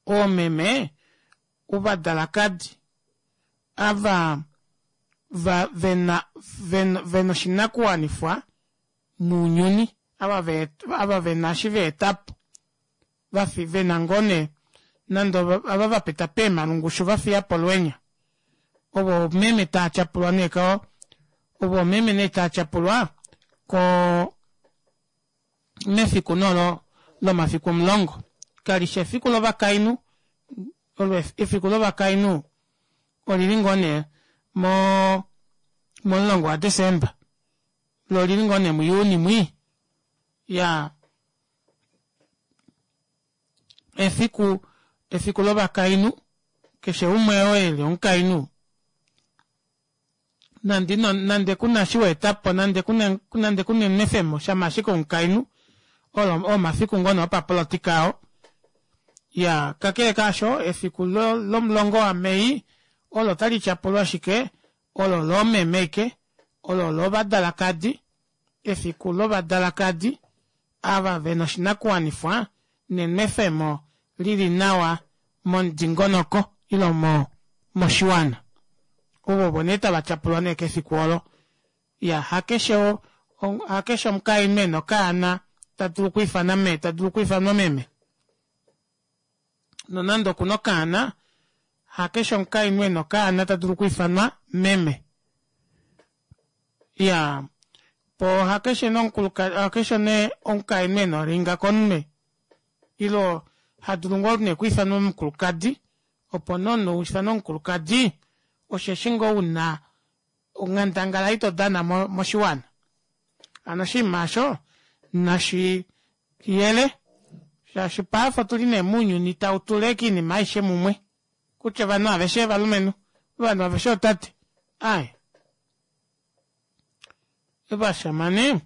oomeme ovadalakadi ava va vena vena vena oshinakuwanifwa mounyuni ava ve ava vena eshi va etapo vafi vena ngoo nee nande ava va pita peemalungushu va fiya po olwenya ovo oomeme taa tyapulwa nee ko ovo oomeme nee taa tyapulwa ko mefiku nolo lomafiku omulongo. Kali shi efiku lovakainhu, olo efiku lovakainhu olili ngoo nee mo momulongo waDesemba, lo olili ngoo nee muJuni mwi. Ya efiku efiku lovakainhu, keshe umwe oo eli omukainhu nande ino nande ku na shi wa eta po nande ku na nande ku na enwefemo shama ashike omukainhu olo omafiku ngoo nee opapolotika oo ya kakele kaasho efiku lomulongo waMei olo tali tyapulwa ashike olo loomeme ike olo lovadalakadi efiku lovadalakadi ava ve na oshinakuwanifwa nenwefemo li li nawa momudingonoko ile mo moshiwana. Ovo ovo nee tava tyapulwa nee kefiku olo. Ya hakeshe hakeshe omukainhu e na okaana ta dulu okwiifana mee, ta dulu okwiifanwa meme. Nonande okuna okaana, hakeshe omukainhu ena okaana ta dulu okwiifanwa meme. Iyaa, po hakeshe nee omukulukadi, hakeshe nee omukainhu ena oringa komunwe ile ha dulu ngoo nee okwiifanwa omukulukadi, opo nee omunhu u ifanwe omukulukadi osheshi ngoo una onghandangala ei to dana moshiwana. Hano oshinima osho nashi yele shaashi paife otuli nee mounyuni tau tula ashike oinima aishe mumwe kutya ovanhu aveshe ovalumenhu, ovanhu aveshe ootate, aaye. Ovashamane,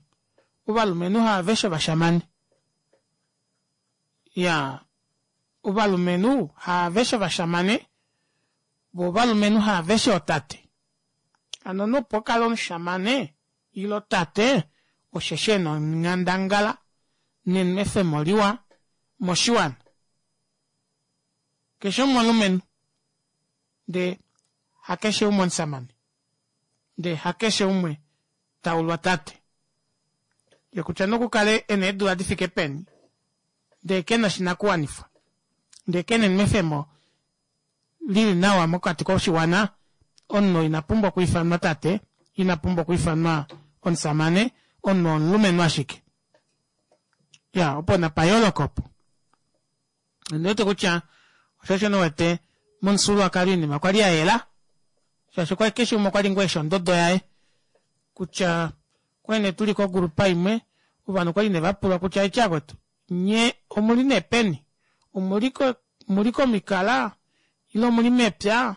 ovalumenhu haaveshe ovashamane. Iyaa, ovalumenhu haaveshe ovashamane, vo ovalumenhu haaveshe ootate. Hano omunhu opo ukale omushamane ile tate osheshi ena onghandangala nenwefemo liwa moshiwana. Keshe umwe omulumenhu ndee hakeshe umwe omusamane ndee hakeshe umwe taulwa tate. Ye kutya nee okukale ena eedula difike peni ndee kena oshinakuwanifwa ndee kena enwefemo lili nawa mokati koshiwana, omunhu ina pumbwa okwiifanwa tate, ina pumbwa okwiifanwa omusamane, omunhu omulumenhu ashike. Ya, opo napa yooloka opo. Ondi wete kutya osho osho wete momufyuululwakalo oinima okwa li ya yela shaashi okwa keshe umwe okwa li ngoo eshi ondodo yaye kutya okwali nee tuli kogrupa imwe ovanhu okwali nee vapulwa kutya eti akwetu nye omuli nee peni omuli komikala ile omuli mepya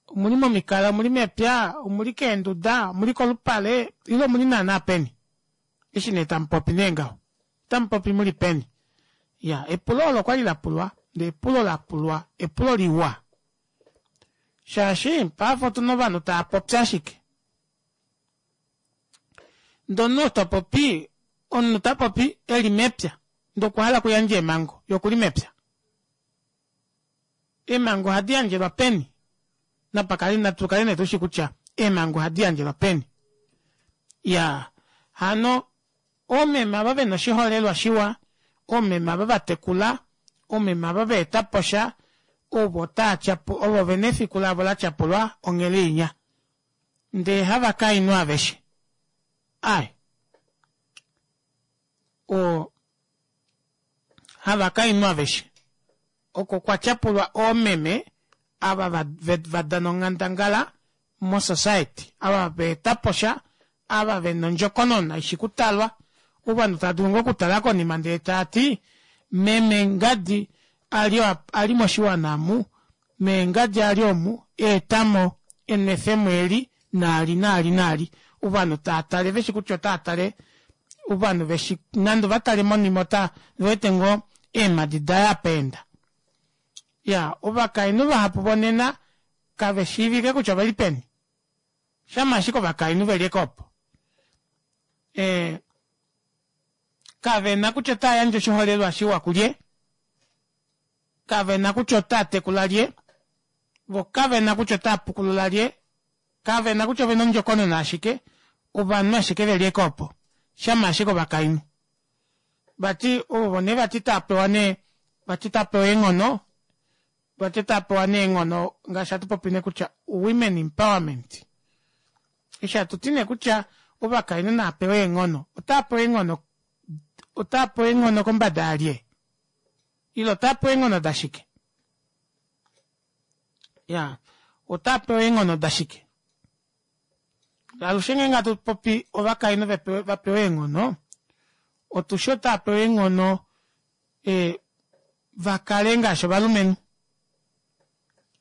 omuli momikala omuli mepya omuli keenduda omuli kolupale ile omuli naana peni eshi nee tamupopi nee ngaho Otamu popi mu li peni? Ya, epulo olo okwa li la pulwa, ndee epulo la pulwa epulo liwa. Shaashi paife otu na ovanhu tava popi ashike. Ndee omunhu oo ta popi, omunhu ta popi e li mepya, ndee okwa hala okuyandja eemhango, ye oku li mepya. Eemhango ohadi yandjelwa peni? Napa kale, natu kale nee tu shi kutya eemhango ohadi yandjelwa peni. Ya, hano Oomeme ava ve na oshiholelwa shiwa, oomeme ava va tekula, oomeme ava va eta po sha, ovo taa tyapu, ovo ve na efiku lavo la tyapulwa onghele inya. Ndee havakainhu aveshe. Ai. O, havakainhu aveshe. Oko kwa tyapulwa oomeme ava va, va dana onghandangala mosociety, ava va eta po sha, ava ve na ondjokonona i shi kutalwa. Ovanhu tava dulu ngoo okutala konima ndele tava ti, meme ngadi a li a li moshiwana omu, mee ngadi a li omu, a eta mo enwefemo eli naali naali naali. Ovanhu tava tale ve shi kutya otava tale, ovanhu ve shi nande ova tale monima ota ve wete ngoo eemhadi daye apa enda. Ya, ovakainhu vahapu vonena kave shiivike kutya ove li peni. Shama ashike ovakainhu ve li eke opo. E, kave na kutya otava yandje oshiholelwa shiwa kulye, kave na kutya otava tekula lye, vo kave na kutya otava pukulula lye, kave na kutya ove na ondjokonona ashike, ovanhu ashike ve li eke opo. Shama ashike ovakainhu. Vati ovo nee vati tava pewa nee, vati tava pewa eenghono, Vati tava pewa nee eenghono ngaashi hatu popi nee kutya women empowerment. Eshi hatu ti nee kutya ovakainhu nava pewe eenghono, otava pewa eenghono, otava pewa eenghono kombada yalye? Ile otava pewa eenghono dashike? Ya, otava pewa eenghono dashike? Alushe ngeenge hatu popi ovakainhu va pewa eenghono, otushi otava pewa eenghono e, va kale ngaashi ovalumenhu.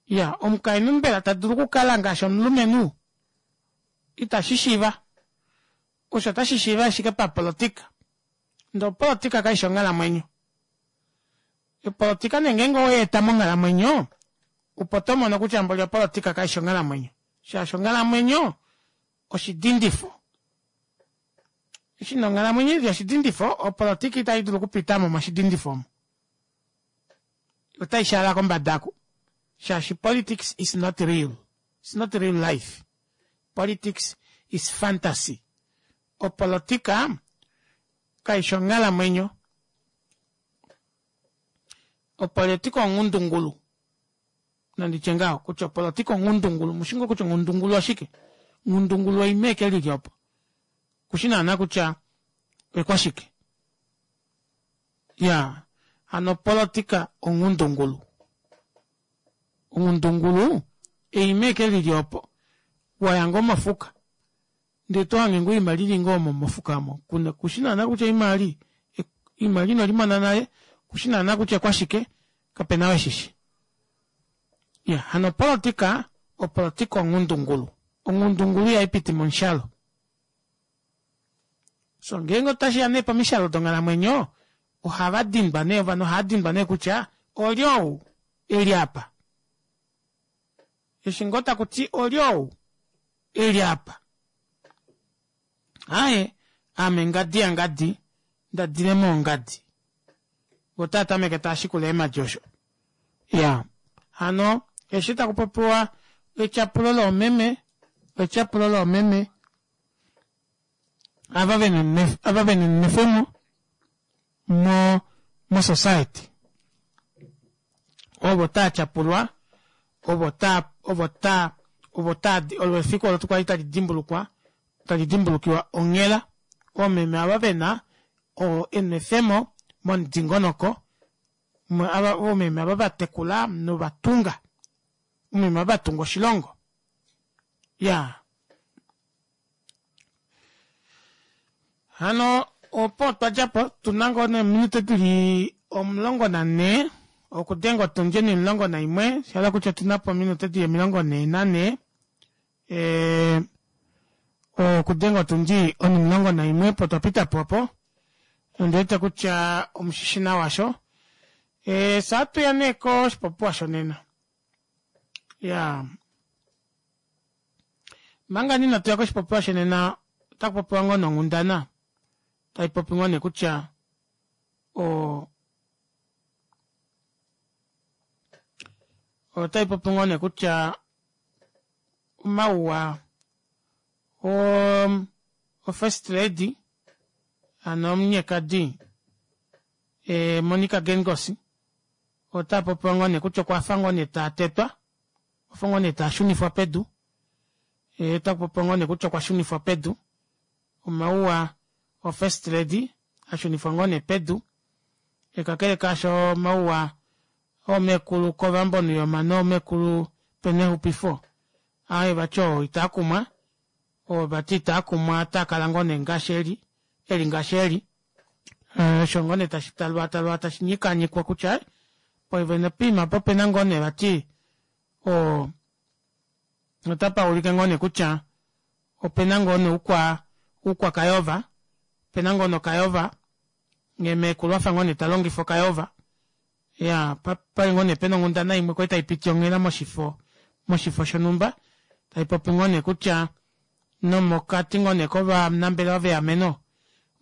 Ya, omukainhu mbela ta dulu okukala ngaashi omulumenhu? Itashi shiiva. Osho otashi shiiva ashike papolotika. Ndele opolotika kai shi onghalamwenyo. Opolotika nee ngeenge owe eta monghalamwenyo, opo to mono kutya mboli opolotika kai shi onghalamwenyo. Shaashi onghalamwenyo oshidindifo. Eshi nee onghalamwenyo ili oshidindifo, opolotika itai dulu okupita mo moshidindifo omo. Otai shaala kombada aku. Shaashi politics is not real. It's not real life. Politics is fantasy. Opolotika kai shi onghalamwenyo. Opolitika onghundungulu. Nandi tye ngaho kutya opolitika onghundungulu. Mushi ngoo kutya onghundungulu oshike? Onghundungulu oime eke lili opo. Kushi naana kutya oikwashike. Ya, hano opolitika onghundungulu. Onghundungulu eime eke lili opo. Waya ngoo mofuka. Ndee to hange ngoo oima lili ngoo omo mofuka omo. Kuna, kushi naana kutya oima ali, oima li ino limona nale, kushi naana kutya okwashike, kapena ou eshishi. Ya, hano opolitika, opolitika onghundungulu. Onghundungulu ihai piti momushalo. So ngeenge otashi ya nee pomishalo donghalamwenyo, ohava dindwa nee, ovanhu ohava dindwa nee kutya olye ou e li apa. Eshi ngoo taku ti olye ou e li apa. Aaye, ame ngadi yangadi, nda dile moongadi. Vo otava tameke tava shikula eemhadi osho. Ya, hano eshi taku popiwa etyapulo loomeme, etyapulo loomeme ava vena ava vena enwefemo mo mo society ovo taa tyapulwa ovo taa ovo taa ovo taa olo efiku olo kwali tali dimbulukwa tali dimbulukiwa onghela oomeme ava vena enwefemo momudingonoko oomeme ava va tekula novatunga oomeme ava va tunga oshilongo ya Hano opo twa dja po tu na ngoo neeminute di li 14 okudenga otundi onimulongo naimwe sha hala kutya otu na po ominute di li 44 okudenga otundi onimulongo naimwe opo twa pita po opo ondi wete kutya omushishi nawa sho fye ohatu ya nee koshipopiwa shonena ya Manga nina tuya koshipopiwa shenena otaku popiwa ngoo nonghundana tai popi ngoo nee kutya o otai popi ngoo nee kutya omauwa o o first lady ano omunyekadi e, Monica Gengos ota popiwa ngoo nee kutya okwa fa ngoo nee ta tetwa Okwa fa ngoo nee taa shunifwa pedu. Otaku popiwa ngoo nee kutya okwa shunifwa pedu. Omauwa oFirst Lady a shunifwa ngoo nee pedu. Kakele kaasho omauwa oomekulu Kovambo Nuyoma noomekulu Penehupifo aaye vati oo itaa kumwa. Oo vati itaa kumwa otaa kala ngoo nee ngaashi eli, eli ngaashi eli. Osho ngoo nee tashi talwaatalwa tashi nyikaanyikwa kutya poivene poima opo opena ngoo nee vati oo otapa ulike ngoo nee kutya opena ngoo nee oukwa oukwa kayova opena ngoo nee okayova nghee meekulu afa ngoo nee ta longifa okayova ya pali ngoo nee pena onghundana imwe kwali tai piti onghela moshifo moshifo shonhumba tai popi ngoo nee kutya nomokati ngoo nee kovanambelewa veameno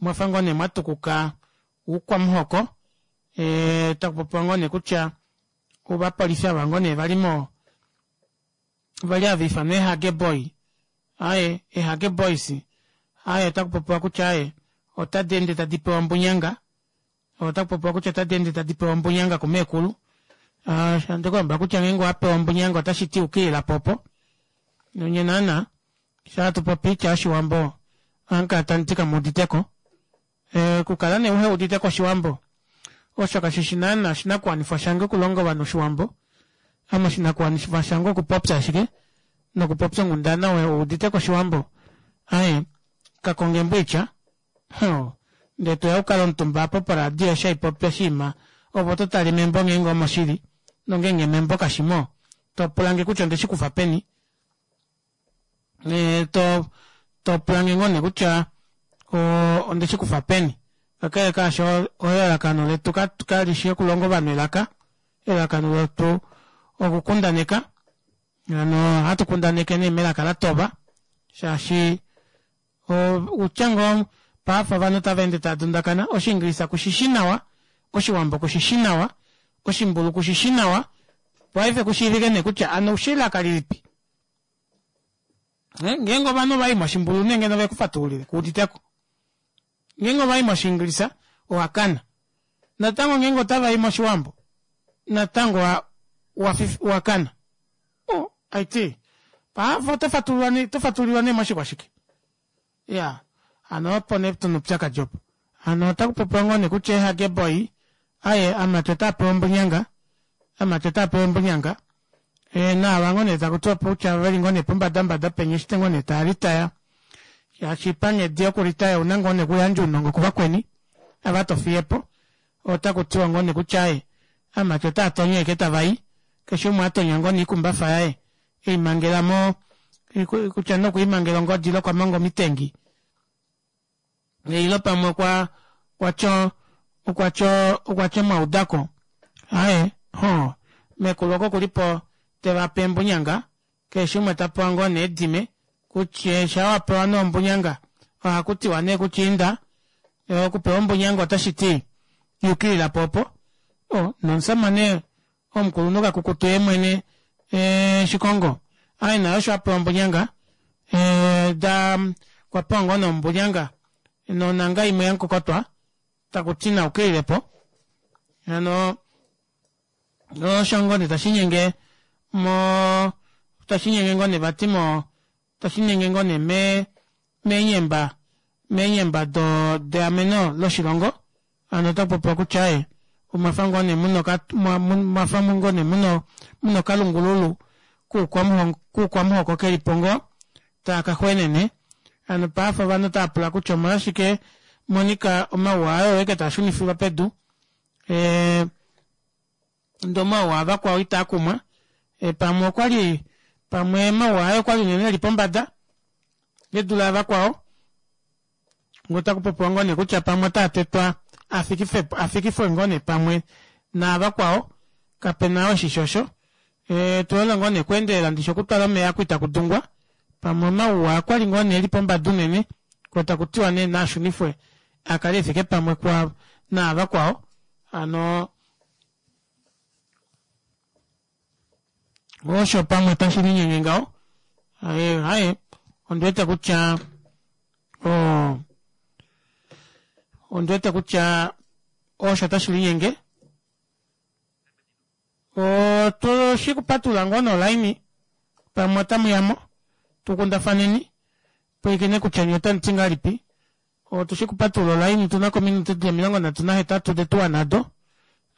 omwafa ngoo nee mwatukuka oukwamuhoko e, taku popiwa ngoo nee kutya ovapolifi ava ngoo nee vali mo vali hava ifanwa eehage boy aye eehage boys aye otaku popiwa kutya aye otadi ende tadi pewa ombunyanga otaku popiwa kutya otadi ende tadi pewa ombunyanga kumeekulu ah, ndikulombwela kutya ngeenge owa pewa ombunyanga otashi ti ukilila po opo nonye naana sha hatu popi oitya yoshiwambo ohamu kala tamu ti kamu uditeko Okukala nee uhe udite ko Oshiwambo, osho kashi shi naana oshinakuwanifwa shange okulonga ovanhu Oshiwambo. Ame oshinakuwanifwa shange okupopya ashike, nokupopya onghundana we udite ko Oshiwambo. Aye, ka konge emboitya, hoo, ndee toya u kale omutumba apo poradio eshi hai popi oshinima, ove oto tale membo ngeenge omo shili, nongeenge membo kashi mo, to pula nge kutya onde shi kufa peni. To to pula nge ngoo nee kutya onde shi kufa peni. Kakele kaasho, elalakano letu kali shi okulonga ovanhu elaka, elalakano letu okukundaneka. Hano ohatu kundaneke nee melaka la tova, shaashi outya ngoo paife ovanhu tava ende tava dundakana, Oshiingilisa ku shi shi nawa, Oshiwambo ku shi shi nawa, Oshimbulu ku shi shi nawa, paife ku shiivike nee kutya ano oushi elaka lilipi. Eh, ngeenge ovanhu ova i moshimbulu nenge nove ku fatululile ku udite ko. Ngeenge ova i moshiingilisa owa kana. Natango ngeenge otava i moshiwambo. Natango wa wa kana. O, aiti. Paavo oto fatululwa ne, oto fatululwa ne moshikwashike. Ya. Hano opo nee tuna oupyakadi opo. Hano otaku popiwa ngoo nee kutya eehage boy aye amati otaa pewa ombunyanga, amati otaa pewa ombunyanga. E, naava ngoo nee taku tiwa kutya veli ngoo nee pombadambada penya eshi ngoo nee taa litaya. Shaashi panghedi yokulitaya ouna ngoo nee okuyandja ounongo kuvakweni ava to fiye po. Otaku tiwa ngoo nee kutya aye amati otaa tonya ashike tava i, keshe umwe a tonya ngoo nee oikumbafa yaye ei mangela mo kutya nee okwe i mangela ongodi ile okwa manga omitengi ile pamwe okwa okwa okwa okwa tya omwaudako aye ho mekulu oko kuli po te va pe embunyanga keshe umwe ta pewa ngoo nee edime kutya sha wa pewa nee ombunyanga ohaku tiwa nee kutya inda okupewa ombunyanga otashi ti yukilila po opo o nomusamane Omukulunhu kakukutu ye mwene eh, Shikongo aye naye osho a pewa ombunyanga eh, da okwa pewa ngoo nombunyanga nonanga imwe yamukokotwa taku ti na ukilile po hano osho ngoo nee tashi nyenge mo tashi nyenge ngoo nee vati mo tashi nyenge ngoo nee me meenyemba meenyemba do deameno loshilongo Hano ota popiwa kutya aye omwafa ngoo nee muna mwafa ngoo nee muna muna okalungululu kuukwamuhoko keli po ngoo taa ka xweenene. Hano paife ovanhu otava pula kutya omolwashike Monica omauwa aye oeke taa shunifilwa pedu ee ndee omauwa avakwao itaa kumwa. E, pamwe okwali pamwe omauwa aye okwali unene eli pombada e dule avakwao. Ngoo otaku popiwa ngoo nee kutya pamwe otaa tetwa a fikifwe ngoo nee pamwe naavakwao, kape na oo eshi shi osho. E, tu hole ngoo nee okuendelela ndishi okutwala omeya oku itaku dungwa. Pamwe omauwa okwa li ngoo nee e li pombada unene, ko taku tiwa nee naa shunifwe a kale e fike pamwe kwa naavakwao. Hano osho pamwe tashi linyenge ngaho. Aye, aye, ondi wete kutya o ondi wete kutya osho tashi linyenge. Otu shi kupatulula ngoo nolaini pamwe otamu ya mo tu kundafaneni pwilikine kutya nye otamu ti ngahelipi. Otu shi kupatulula olaini otu na ko ominute di li 38 de tuwa nado.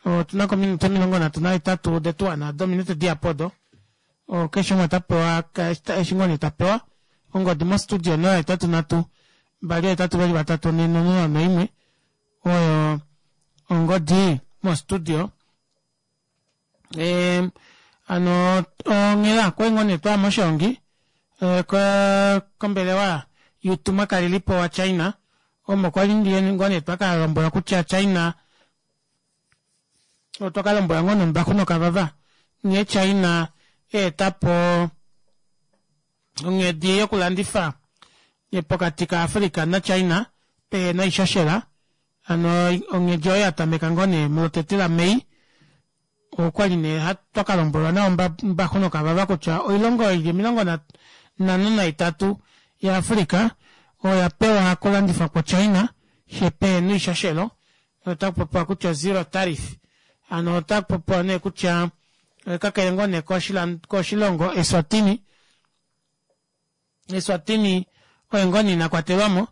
Otu na ko ominute 38 de tuwa nado, ominute dihapu odo. Keshe umwe ota pewa eshi ngoo nee ta pewa. Ongodi mostudio 083 282 401 oyo ongodi mostudio. E, ano onghela kwali ngoo nee twaya moshongi e, kombelewa yuutumwa kalelipo wa China omo kwali ngoo nee twaka lombwelwa kutya China otwa ka lombwelwa ngoo nombaxu nokavava nghee China eetapo onghedi yokulandifa pokati ka Africa na China pehena oishoshela Hano onghedi oyo ya tameka ngoo nee mulotete laMei, okwali nee twa ka lombwelwa nawa Mbaxu nOkavava kutya oilongo oyo ili 53 yaAfrica oya pewa okulandifwa kwoChina she pehena oishoshelo, otaku popiwa kutya zero tariff. Hano otaku popiwa nee kutya kakele ngoo nee koshilongo Eswatini, Eswatini oye ngoo nee ina kwatelwa mo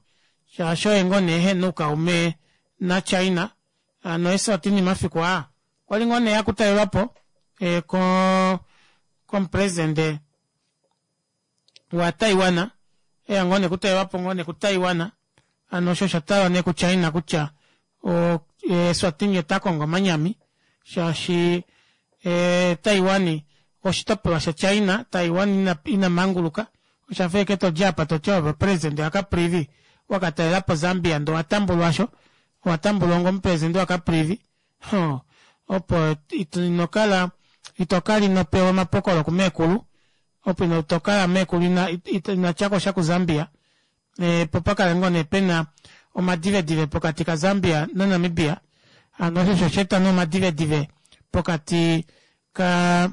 shaashi oye ngoo nee ehena oukaume naChina. Hano Eswatini mafiku aa okwali ngoo nee akutalelwapo e, ko komupresidente waTaiwan eya ngoo nee kutalelwapo ngoo nee kuTaiwan hano osho osha talwa nee kuChina kutya o, Eswatini ota kongo omanyami shaashi e, Taiwan oshitopolwa shaChina, Taiwan ina, ina manguluka. Osha fa eke to dji apa to ti ove presidente waCaprivi wa ka talela po Zambia ndee owa tambulwa sho, owa tambulwa onga omupresidente waCaprivi. Huh, opo ito, ino kala, ito kala ino pewa omapokolo kumeekulu, opo ino to kala meekulu ina, ina tya ko sha kuZambia. E, po pa kale ngoo nee pe na omadivedive pokati kaZambia naNamibia. Hano osho osho sha eta nee omadivedive pokati ka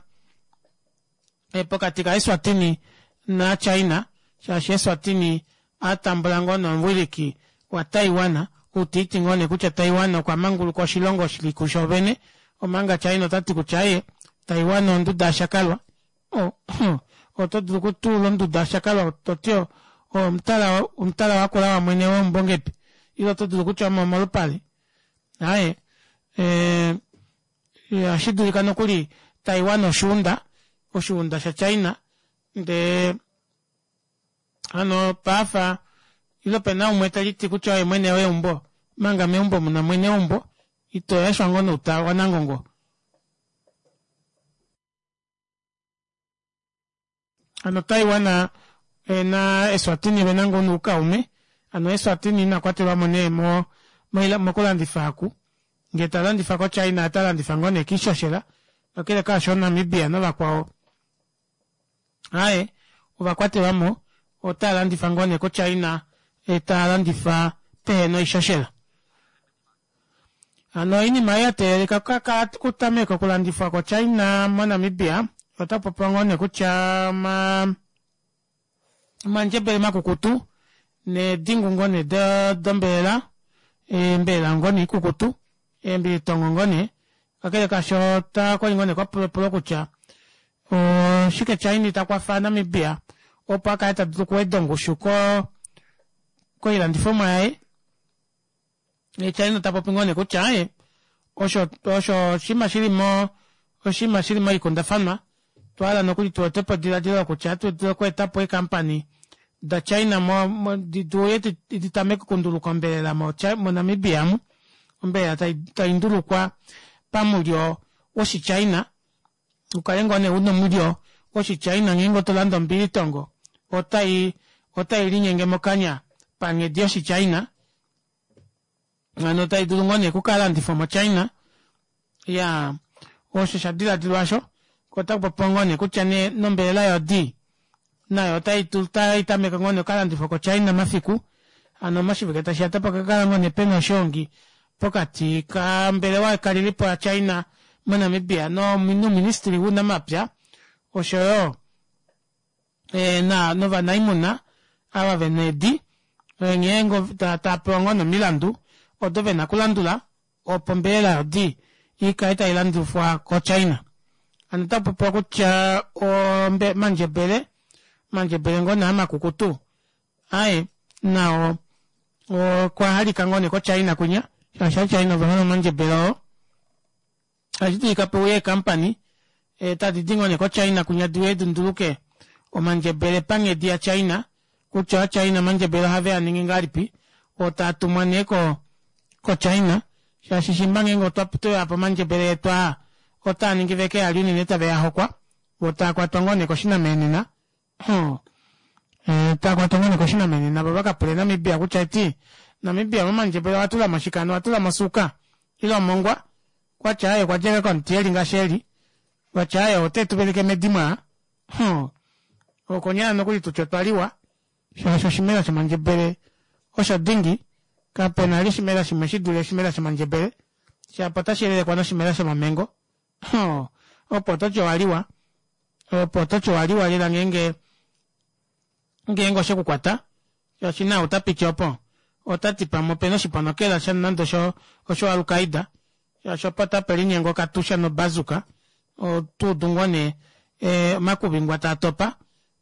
e, pokati kaEswatini naChina, shaashi Eswatini a tambula ngoo nomuwiliki waTaiwan, ou ta iti ngoo nee kutya Taiwan okwa manguluka oshilongo shi li kusho vene. Omanga China ota ti kutya ye Taiwan onduda yashakalwa. Oh, oto dulu okutuula onduda yashakalwa to ti omutala omutala wakula wamwene weumbo ngepi ile oto dulu kutya omo molupale aye eh, ohashi dulika nokuli Taiwan oshuunda oshuunda shaChina ndee hano paafa ile pena umwe te liti kutya oye mwene weumbo manga meumbo muna mwene weumbo ito yashwa ngoo nouta wanangongo Hano Taiwan na Eswatini vena ngoo noukaume, hano Eswatini ina kwatelwamo nee mo mokulandifa aku, ngee talandifa ko China ota landifa ngoo nee kiishoshela, kakele kaasho Namibia novakwao aaye ova kwatelwamo otaa landifa ngoo nee ko China taa landifa pehena oishoshela. Hano oinima ei ya teelelika okutameka okulandifwa koChina moNamibia ota popiwa ngoo nee kutya omandjebele makukutu needingu ngoo nee dombelela, eembelela ngoo nee ikukutu, eembilitongo ngoo nee. Kakele kaasho okwali ngoo nee kwa pulwa epulo kutya oshike China ita kwafa Namibia opo a kale ta dulu okuweda ongushu koilandifomwa yaye. China ta popi ngoo nee kutya aye osho osho oshinima shili mo oshinima shili moikundafanwa twa hala nokuli tu ete po ediladilo lokutya atu dulu okweeta po eekampani daChina mo, mo di uye di tameke okunduluka ombelela mo, moNamibia mu ombelela tai, tai ndulukwa pamulyo woshiChina ukale ngoo nee una omulyo woshiChina ngeenge oto landa ombilitongo otai otai linyenge mokanya panghedi yoshiChina hano otai dulu ngoo nee okukalandifwa moChina ya osho sha diladilwa osho ko otaku popiwa ngoo nee kutya nee nombelela yodi nayo otai tai tameke ngoo nee okukalandifwa koChina mafiku hano moshivike tashi ya otapa ka kala ngoo nee pena oshoongi pokati kambelewa ekalelipo yaChina moNamibia nouministili wounamapya oshoyo e, na novanaimuna ava ve na eedi nghee ngo tava pewa ngoo nomilandu odo ve na okulandula opo ombelela yodi i kale tai landifwa koChina. Hano otaku popiwa kutya omandjebele omandjebele ngoo nee amakukutu aye nao okwa halika ngoo nee koChina kwinya shaashi aChina ove hole omandjebele oo. Ohashi dulika pe uye eekampani tadi di ngoo nee koChina kwinya di uye di nduluke omandjebele panghedi yaChina, kutya ovaChina omandjebele ohave a ningi ngahelipi, oo taa tumwa nee ko koChina, shaashi shimba ngeenge otwa tweya po omandjebele etu aa, otaa ningi veke a li unene tave a hokwa, vo taa kwatwa ngoo nee koshinamenena. Eh, taa kwatwa ngoo nee koshinamenena vo va ka pule Namibia kutya eti Namibia momandjebele owa tula mo shike hano owa tula mo osuuka ile omongwa kwatya aaye okwa dja komuti eli ngaashi eli kwatya aaye ote tu veleke medimo aa okonyala nokuli tutye otwa liwa shaashi oshimela shomandjebele osho dingi kapena li oshimela shimwe shi dule oshimela shomandjebele shapo otashi yelekwa noshimela shomamengo opo oto ti owa liwa opo oto ti owa liwa lela ngeenge ngeenge oshe ku kwata shaashi na ota piti opo ota ti pamwe opena oshiponokela sha nande osho osho Al-Qaeda shaashi opo tape linyenga okatusha nobazuka otuudu ngoo nee eh, omakuvi ngwa taa topa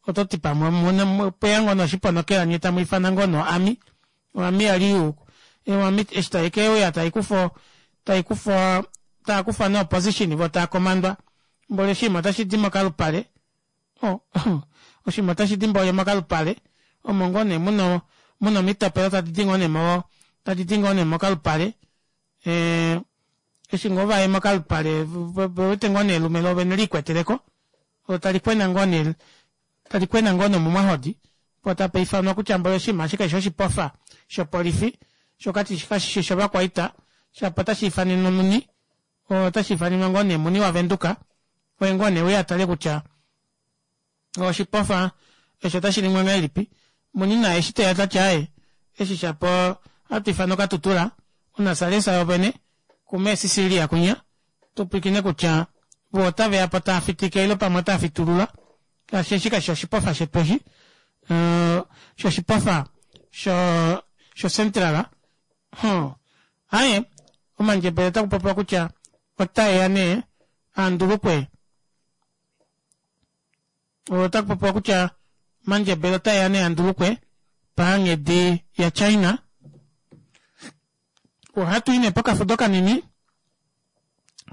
oto ti pamwe pweya ngoo nee oshiponokela nye tamu ifana ngoo nee oami oami yali yu oami eshi tai keuya tai kufa tai kufa taa kufa nee opposition vo taa komandwa mboli oshinima otashi di mokalupale Oh, oshinima otashi di mboli mokalupale omo ngoo nee muna muna omitopelo tadi di ngoo nee mo tadi di ngoo nee mokalupale eh, eshi ngoo vaye mokalupale ve wete ngoo nee elume lovene liikweteleko olo tali kwena ngoo nee tali kwena ngoo nomumwahodi po tapa ifanwa kutya mboli oshinima eshi kashi oshipofa shopolifi sho kashi shi shovakwaita shapo otashi ifanenwa muni otashi ifanenwa ngoo nee muni waVenduka oye ngoo nee uye a tale kutya oshipofa eshi otashi ningwa ngahelipi. Muni naye eshi teya ta ti aaye eshi shapo ohatu ifana okatutula onasalesa yovene kumee Sicilia kwinya tu pwilikine kutya vo otave ya po tava fitike ile pamwe otava fitulula shaashi eshi kashi oshipofa shetu eshi shoshipofa sho sho central. Huh. Aye omandjebele otaku popiwa kutya. otaeya nee andulukwe otaku popiwa kutya omandjebele otaeya nee andulukwe panghedi yaChina. Ohatu i nee pokafudo kanini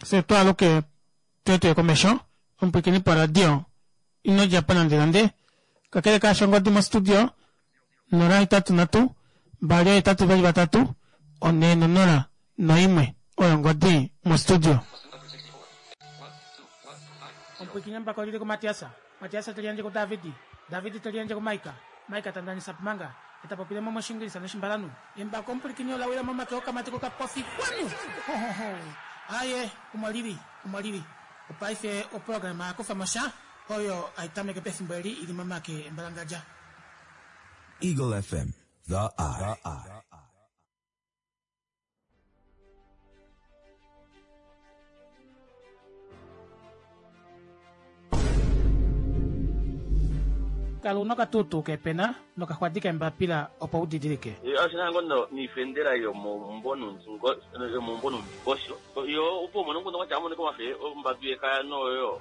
fye twaaluke tuye komesho omupwiikini poradio ino dja po nande nande kakele kaasho ongodi mostudio 083 283 401 oyo ongodi mostudio. Omupwiikini embako olili kuMatias, Matias te liyandje kuDavid, David te liyandje kuMaika, Maika ta ndanisa Pumanga, e ta popile mo mOshiingilisa nOshimbalanhu. Embako omupwilikini ola wila momake okamati kokapofi kwanu! Hohoho! Aaye, omo lili, omo lili. Opaife oprograma ya kufa mo sha oyo hai tameke pefimbo eli i li momake embalangadja. Eagle FM, the eye. Kala u na okatuutuu keepena nokaxwadi keembapila opo u didilike. Oshi na ngoo noifendela yomomumbo noundingosho. Yo opo umone nguno kwatya amoneka omafe ombadu yekaya noyo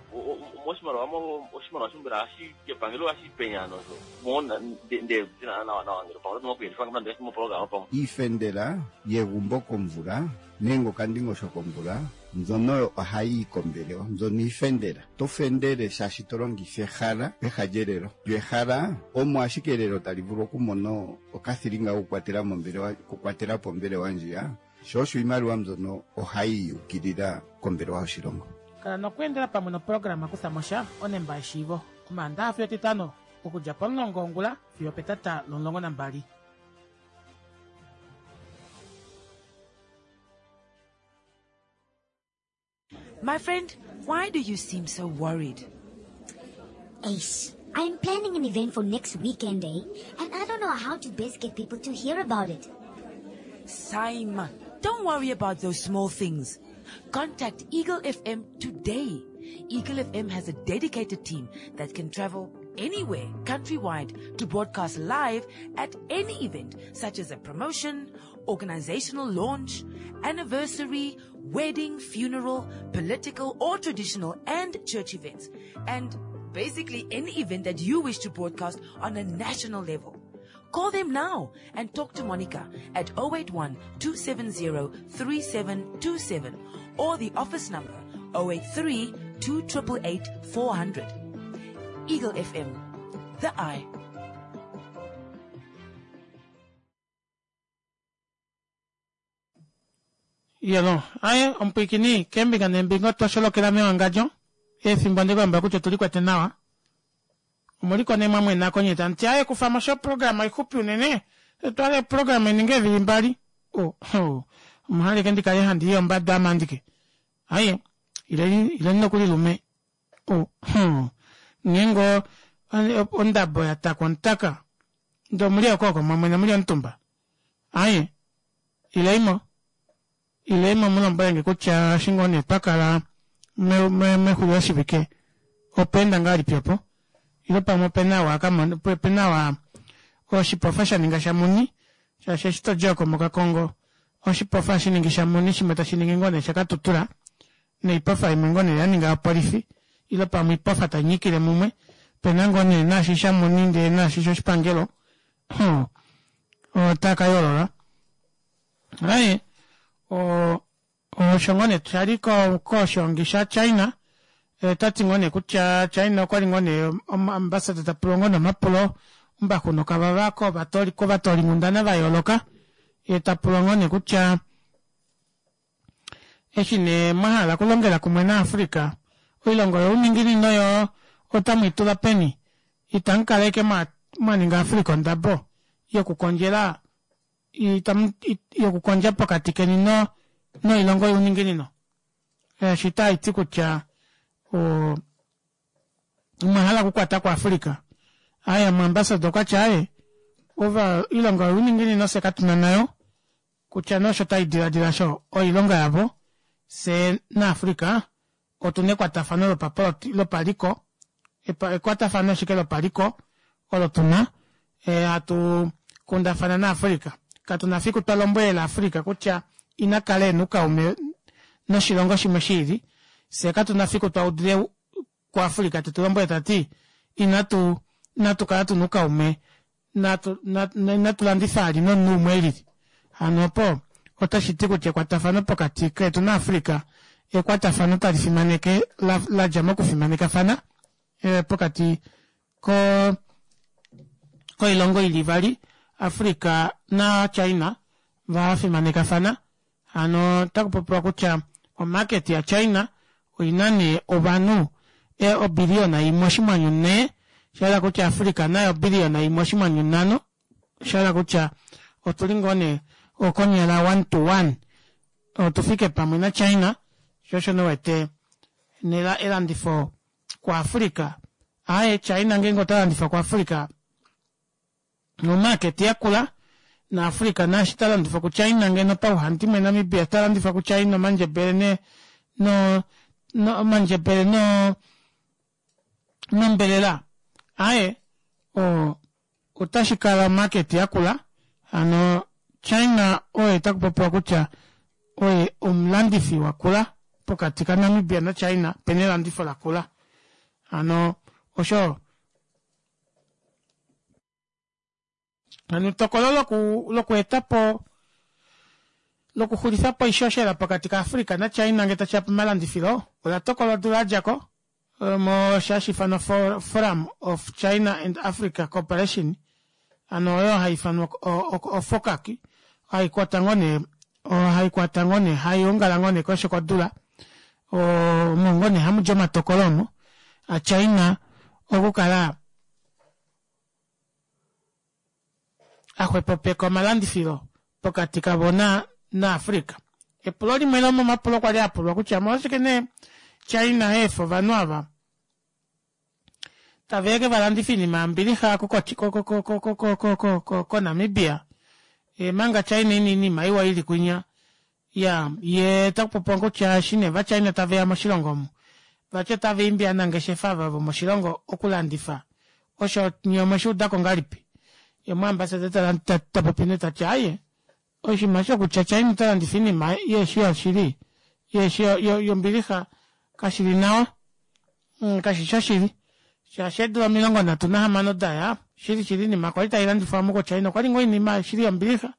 moshimaliwa mo oshimaliwa sho mbela ohashi kepangelo ohashi penya nosho mo nde dina nawa nawa ngele pamwe oto kuyelifa nande mo programa pamwe. Iifendela yegumbo komvula nenge okandingosho komvula mbyono oyo ohayi yi kombelewa mbyono iifendela. To fendele shaashi to longitha ehala peha lyelelo. Lyo ehala omo ashike elelo tali vulu okumona okathilinga kokukwatela mombelewa okukwatela po ombelewa ndjiya. Sho osho iimaliwa mbyono ohayi yukilila kombelewa yoshilongo. Kala nokweendela pamwe noprograma Kutha mo sha onemba yeshiivo Omaandaxa fiyo Etitano okudja pomulongo wongula fiyo opetata lomulongo nambali. My friend, why do you seem so worried? Ace, I'm planning an event for next weekend, eh? And I don't know how to best get people to hear about it. Simon, don't worry about those small things. Contact Eagle FM today. Eagle FM has a dedicated team that can travel anywhere countrywide to broadcast live at any event such as a promotion, organizational launch, anniversary, wedding, funeral, political or traditional and church events, and basically any event that you wish to broadcast on a national level. Call them now and talk to Monica at 081 270 3727 or the office number 083 288 400. Eagle FM, the eye. Iyelo, aye omupwiikini keembinga neembinga otwa sholokela mewangadjo efimbo ndikulombwela kutya otuli kwete nawa. Omuliko nee mwa mwena konye tamu ti aye kufa mo sho oprograma oixupi unene twale oprograma ininge eevili mbali. Oh, oh, omuhaleke ndi kale handi i ombada ame andike. Aye, ileni ileni nokuli lume. Oh, oh, nghee ngoo ondabo ya takwa omutaka ndee omuli okooko mwa mwena muli omutumba. Aye, ilei mo, ilei mo mu lombwele nge kutya eshi ngoo nee twa kala mexuliloshivike opa enda ngahelipi opo, ile pamwe ope na wa ka mona, ope na wa oshipofa sha ninga shamuni, shaashi eshi to di oko mokakongo oshipofa hashi ningi shamuni shimwe tashi ningi ngoo nee shakatutura, noipofa imwe ngoo nee ya ninga yopolifi, ile pamwe oipofa tai nyikile mumwe, ope na ngoo nee naashi shamuni ndee naashi shoshipangelo, Huh. Otaa ka yoolola. Aye, o, osho ngoo nee sha li ko, koshiongi shaChina. Ota ti ngoo nee kutya China okwa li ngoo nee ambassador ta pulwa ngoo nee omapulo ombaxu nokavava kovatoli, kovatoolinghundana va yooloka. Ye ta pulwa ngoo nee kutya Eshi nee mwa hala okulongela kumwe naAfrica, oilongo youninginino yoo otamu i tula peni? Itamu kala ashike mwa ninga Africa ondabo yokukondjela yokukondja pokati keni noilongo youninginino? Eshi otashi ti kutya omwa hala okukwata ko Africa. Aye, omuambassador okwa ti aye, ova oilongo youninginino fye katu na nayo. Kutya nee osho tai diladila sho oilonga yavo, fye naAfrica otu na ekwatafano lopapoloti, lopaliko, ekwatafano ashike lopaliko olo tu na, hatu kundafana naAfrica. Katu na fiku twa lombwelela Africa kutya ina kala e na oukaume. noshilongo shimwe shiili. Fyee katuna fiku twa udile kuAfrica tetu lombwele tati inatu inatu kala tuna oukaume natu inatu landifa vali nomunhu umwe elili. Hano opo otashi ti kutya ekwatafano pokati ketu naAfrica ekwatafano tali fimaneke la dja mokufimanekafana pokati ko koilongo ili ivali Africa na China va fimanekafana. Hano ota kupopiwa kutya omarket ya China oina nee ovanhu obiliyona imwe oshinghwanyu nhee, shahala kutya Africa naye obiliyona imwe oshinghwanyu nhano, shahala kutya otuli ngoo nee okonyala one to one otufike pamwe na China, sho osho nee uwete nela elandifo ku Africa aaye China ngeenge ota landifa ku Africa omarket yakula na Africa naashi ta landifa ku China ngeno pauhandimwe Namibia ta landifa ku China omandjebele ne no no omandjebele no nombelela aaye o otashi kala omarket yakula hano China oye takupopiwa kutya oye omulandifi wakula pokati ka Namibia na China pena elandifo lakula hano osho Hano etokolo loku lokweeta po lokuxulifa po oishoshela pokati kaAfrica naChina ngee tashi ya pomalandifilo ola tokolwa odula ya dja ko mo hashi ifanwa Forum of China and Africa Cooperation hano oyo hai ifanwa oFOCAC hai kwata ngoo nee hai kwata ngoo nee hai ongala ngoo nee keshe kodula omo ngoo nee hamu di omatokolo omo aChina okukala a xwepopeka omalandifilo pokati kavo na naAfrica. Epulo limwe lomomapulo kwa li a pulwa kutya omolwashike nee China ha efa ovanhu ava tave ke va landifa oinima yombilixa koNamibia manga China ina oinima iwa ili kwinya ya ye ta kupopiwa kutya eshi nee vaChina tave ya moshilongo omu vati otava imbi ovanangeshefa ava vomoshilongo okulandifa osho nye omweshi udako ngahelipi? Ye omuambassador ta popi nee tati aaye oshinima shokutya China ota landifa oinima yeeshi yoshili yeeshi yombilixa kashili nawa kashi shoshili shaashi eedula 36 daya shili shili oinima kwali tailandifwa omu koChina okwali ngoo oinima shili yombilixa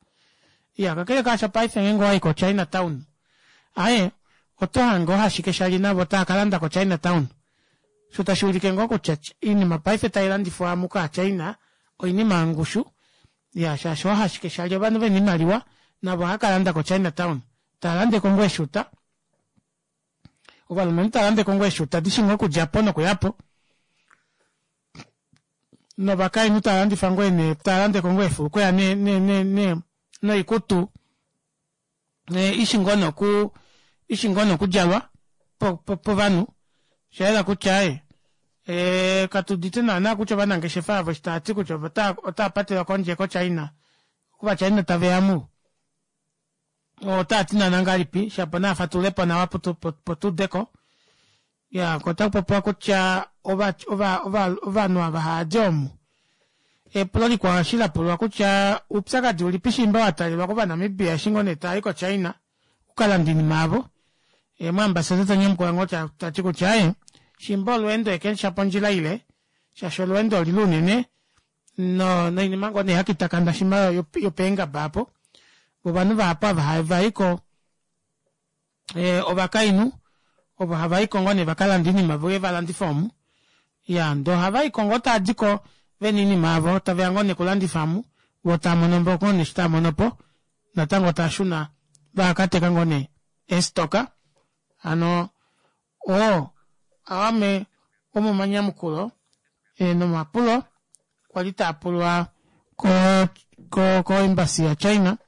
Iya, kakele kaasho paife ngeenge owa i koChina Town, aaye, oto hange ohashike shali navo tava ka landa koChina Town. Osho tashi ulike ngoo kutya oinima paife tai landifwa amu kaaChina oinima yongushu. Iya, shaashi ohashike shali ovanhu ve na oimaliwa navo ohava ka landa koChina Town. Tava lande ko ngoo eeshuta. Ovalumenhu tava lande ko ngoo eeshuta di shi ngoo okudja po nokuya po. Novakainhu tava landifa ngoo ene tava lande ko ngoo eefulukweya ne ne ne ne noikutu i shi ngoo noku i shi ngoo nokudjalwa po po povanhu. Osha yela kutya aaye ee katu udite naana kutya ovanangeshefa avo eshi tava ti kutya otava patelwa kondje koChina, ovaChina tave ya mu otava ti naana ngahelipi shapo naa fatulule po nawa po tu ude ko. Ya ko otaku popiwa kutya ova ova ova ovanhu ava hava di omu. Epulo likwao eshi la pulwa kutya oupyakadi ulipi shiimba wa talelwa kOvanamibia eshi ngoo nee tava i koChina okukalanda oinima yavo. Omuambasada ta nyamukula ngoo ta ti kutya aaye shiimba olweendo eke shapo ondjila ile shaashi olweendo olile unene no noinima ngoo nee yakitakana shima yopeengaba apo ovanhu vahapu ava hava i ko eh, ovakainhu ovo hava i ko ngoo nee vaka lande oinima vo va landifa omu ya ndee ohava i ko ngoo tava di ko vena oinima yavo tave ya ngoo nee kulandifa omu vo tava mono po ngoo nee eshi tava mono po natango tava shuna vaka teka ngoo nee eestoka hano Oo aamwe omomanyamukulo nomapulo kwa li taa pulwa koEmbassy yaChina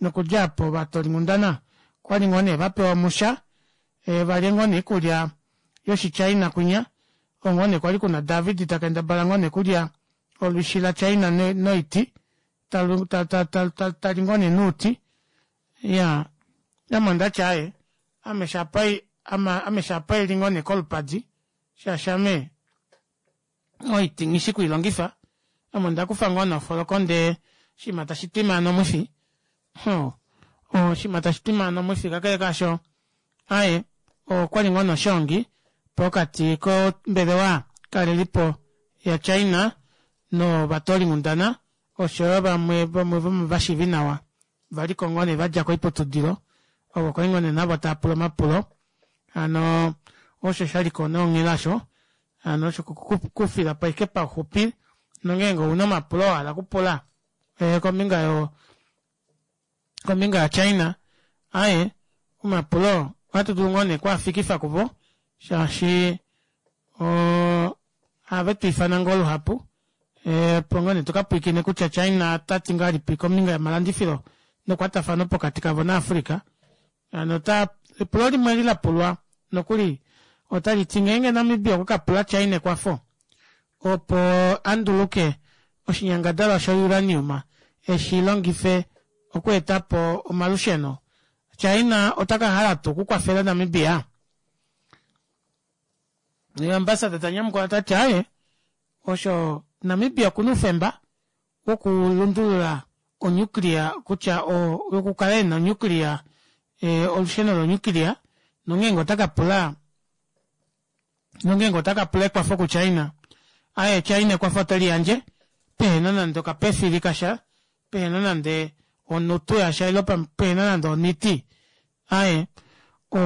nokudja opo ovatoolinghundana okwa li ngoo nee va pewa omusha va lye ngoo nee oikulya yoshiChina kwinya oko ngoo nee kwali kuna David ta kendabala ngoo nee okulya olwishi laChina noiti tali ngoo nee nouti. Iyaa ame ondati aaye Ame shapa ame shapa eli ngoo nee kolupadi shaashi ame oiti nghi shi kuilongifa ame onda kufa ngoo nee ofoloko ndee oshinima tashi twimaana omwifi oshinima tashi twimaana omwifi kakele kaasho. Aye, okwali ngoo noshoongi pokati kombelewa kalelipo ya China novatoolinghundana oshoyo vamwe vamwe vomovashiivi nawa valiko ngoo nee vadja koiputudilo ovo kwali ngoo nee navo tava pula omapulo hano osho shaliko nee onghela osho hano osho kufilapo ashike pauxupi nongeenge ouna omapulo wahala okupula eh, kombinga yo kombinga yaChina aye omapulo ohatu dulu ngoo nee kwaafikifa kuvo shaashi ohave tu ifana ngoo luhapu opo ngoo nee tuka pwiikine kutya China ota ti ngahelipi kombinga yomalandifilo nekwatafano pokati kavo naAfrica. Hano ota epulo limwe eli la pulwa nokuli otali ti ngeenge Namibia okwa ka pula China ekwafo opo a nduluke oshinyangadalwa sho uranium eshi longife okweeta po omalusheno, China ota ka hala tuu okukwafela Namibia? Ambassador ta nyamukula ta ti aaye, osho Namibia okuna oufemba wokulundulula onuclear kutya yokukala ena onuclear olusheno lonuclear nongeenge ota ka pula nongeenge ota ka pula ekwafo kuChina aye China ekwafo ote liyandje pehena nande okapefili kasha pehena nande onutu yasha ile pehena nande oniti aye o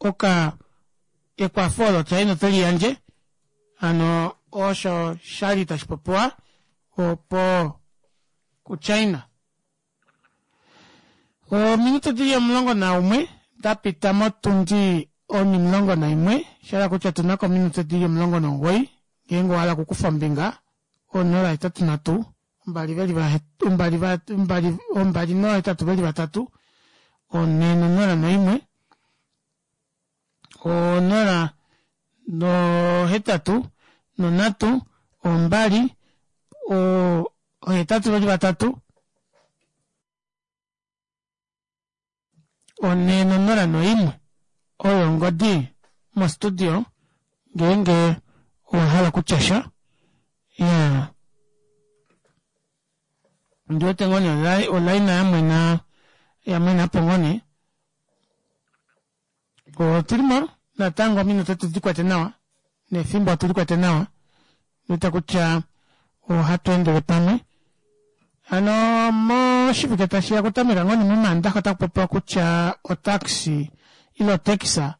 oka ekwafo olo China ote liyandje hano osho shali tashi popiwa opo kuChina. Ominute dili 11 da pita motundi onimulongo naimwe, sha hala kutya otu na ko ominute dili 19 ngeenge owa hala okukufa ombinga, 083 2 veli va 2 2 2 nohetatu veli vatatu 4 nonola noimwe 0 nohetatu nonhatu ombali ohetatu veli vatatu one nonola noimwe oyo ongodi mostudio ngeenge owa hala okutya sha ya ndi wete ngoo nee olaina yamwena yamwena po ngoo nee Otuli mo natango ominute tudi kwete nawa nefimbo otuli kwete nawa nita kutya ohatu endele pamwe hano moshivike tashi ya okutameka ngoo momaandaxa otaku popiwa kutya otaxi ile otaxa